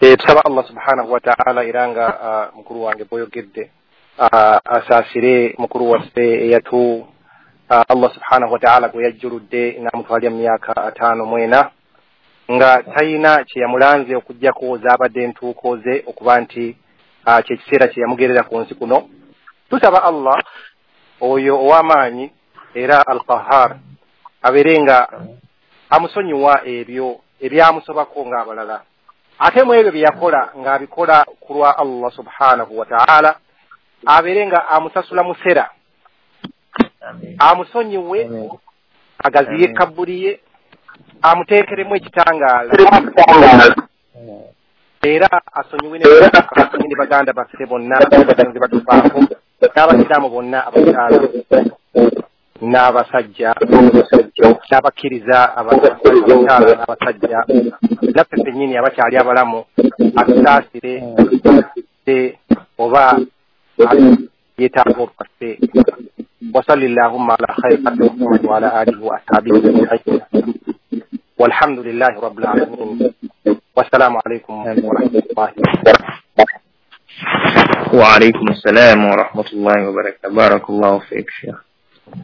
Tusaba Allah subhanahu wa ta'ala era nga mukulu wange bw'oyogedde asaasire mukulu waffe eyatu Allah subhanahu wa ta'ala gwe yajjuludde n'amutwalya mu myaka ataano mu ena nga talina kye yamulanze okuggyako zaabadde entuuko ze okuba nti kye kiseera kye yamugerera ku nsi kuno. Tusaba Allah oyo ow'amaanyi era Al-Qahhar abeere nga amusonyiwa ebyo ebyamusobako ng'abalala, ate mu ebyo bye yakola ng'abikola ku lwa Allah subhanahu wa ta'ala, abeere nga amusasula musera, amusonyiwe, agaziye kabbuli ye, amuteekeremu ekitangaala, era asonyiwe ne baganda baffe bonna abagenzi batufaako n'abasiraamu bonna abakyala n'abasajja n'abakkiriza abakyala n'abasajja naffe ffennyini abakyali abalamu, atusaasire oba yeetaaga olwaffe. وصل اللهم على خير محمد وعلى آله وأصحابه أجمعين والحمد لله رب العالمين والسلام عليكم ورحمة الله وعليكم السلام ورحمة الله وبركاته. بارك الله فيك شيخ.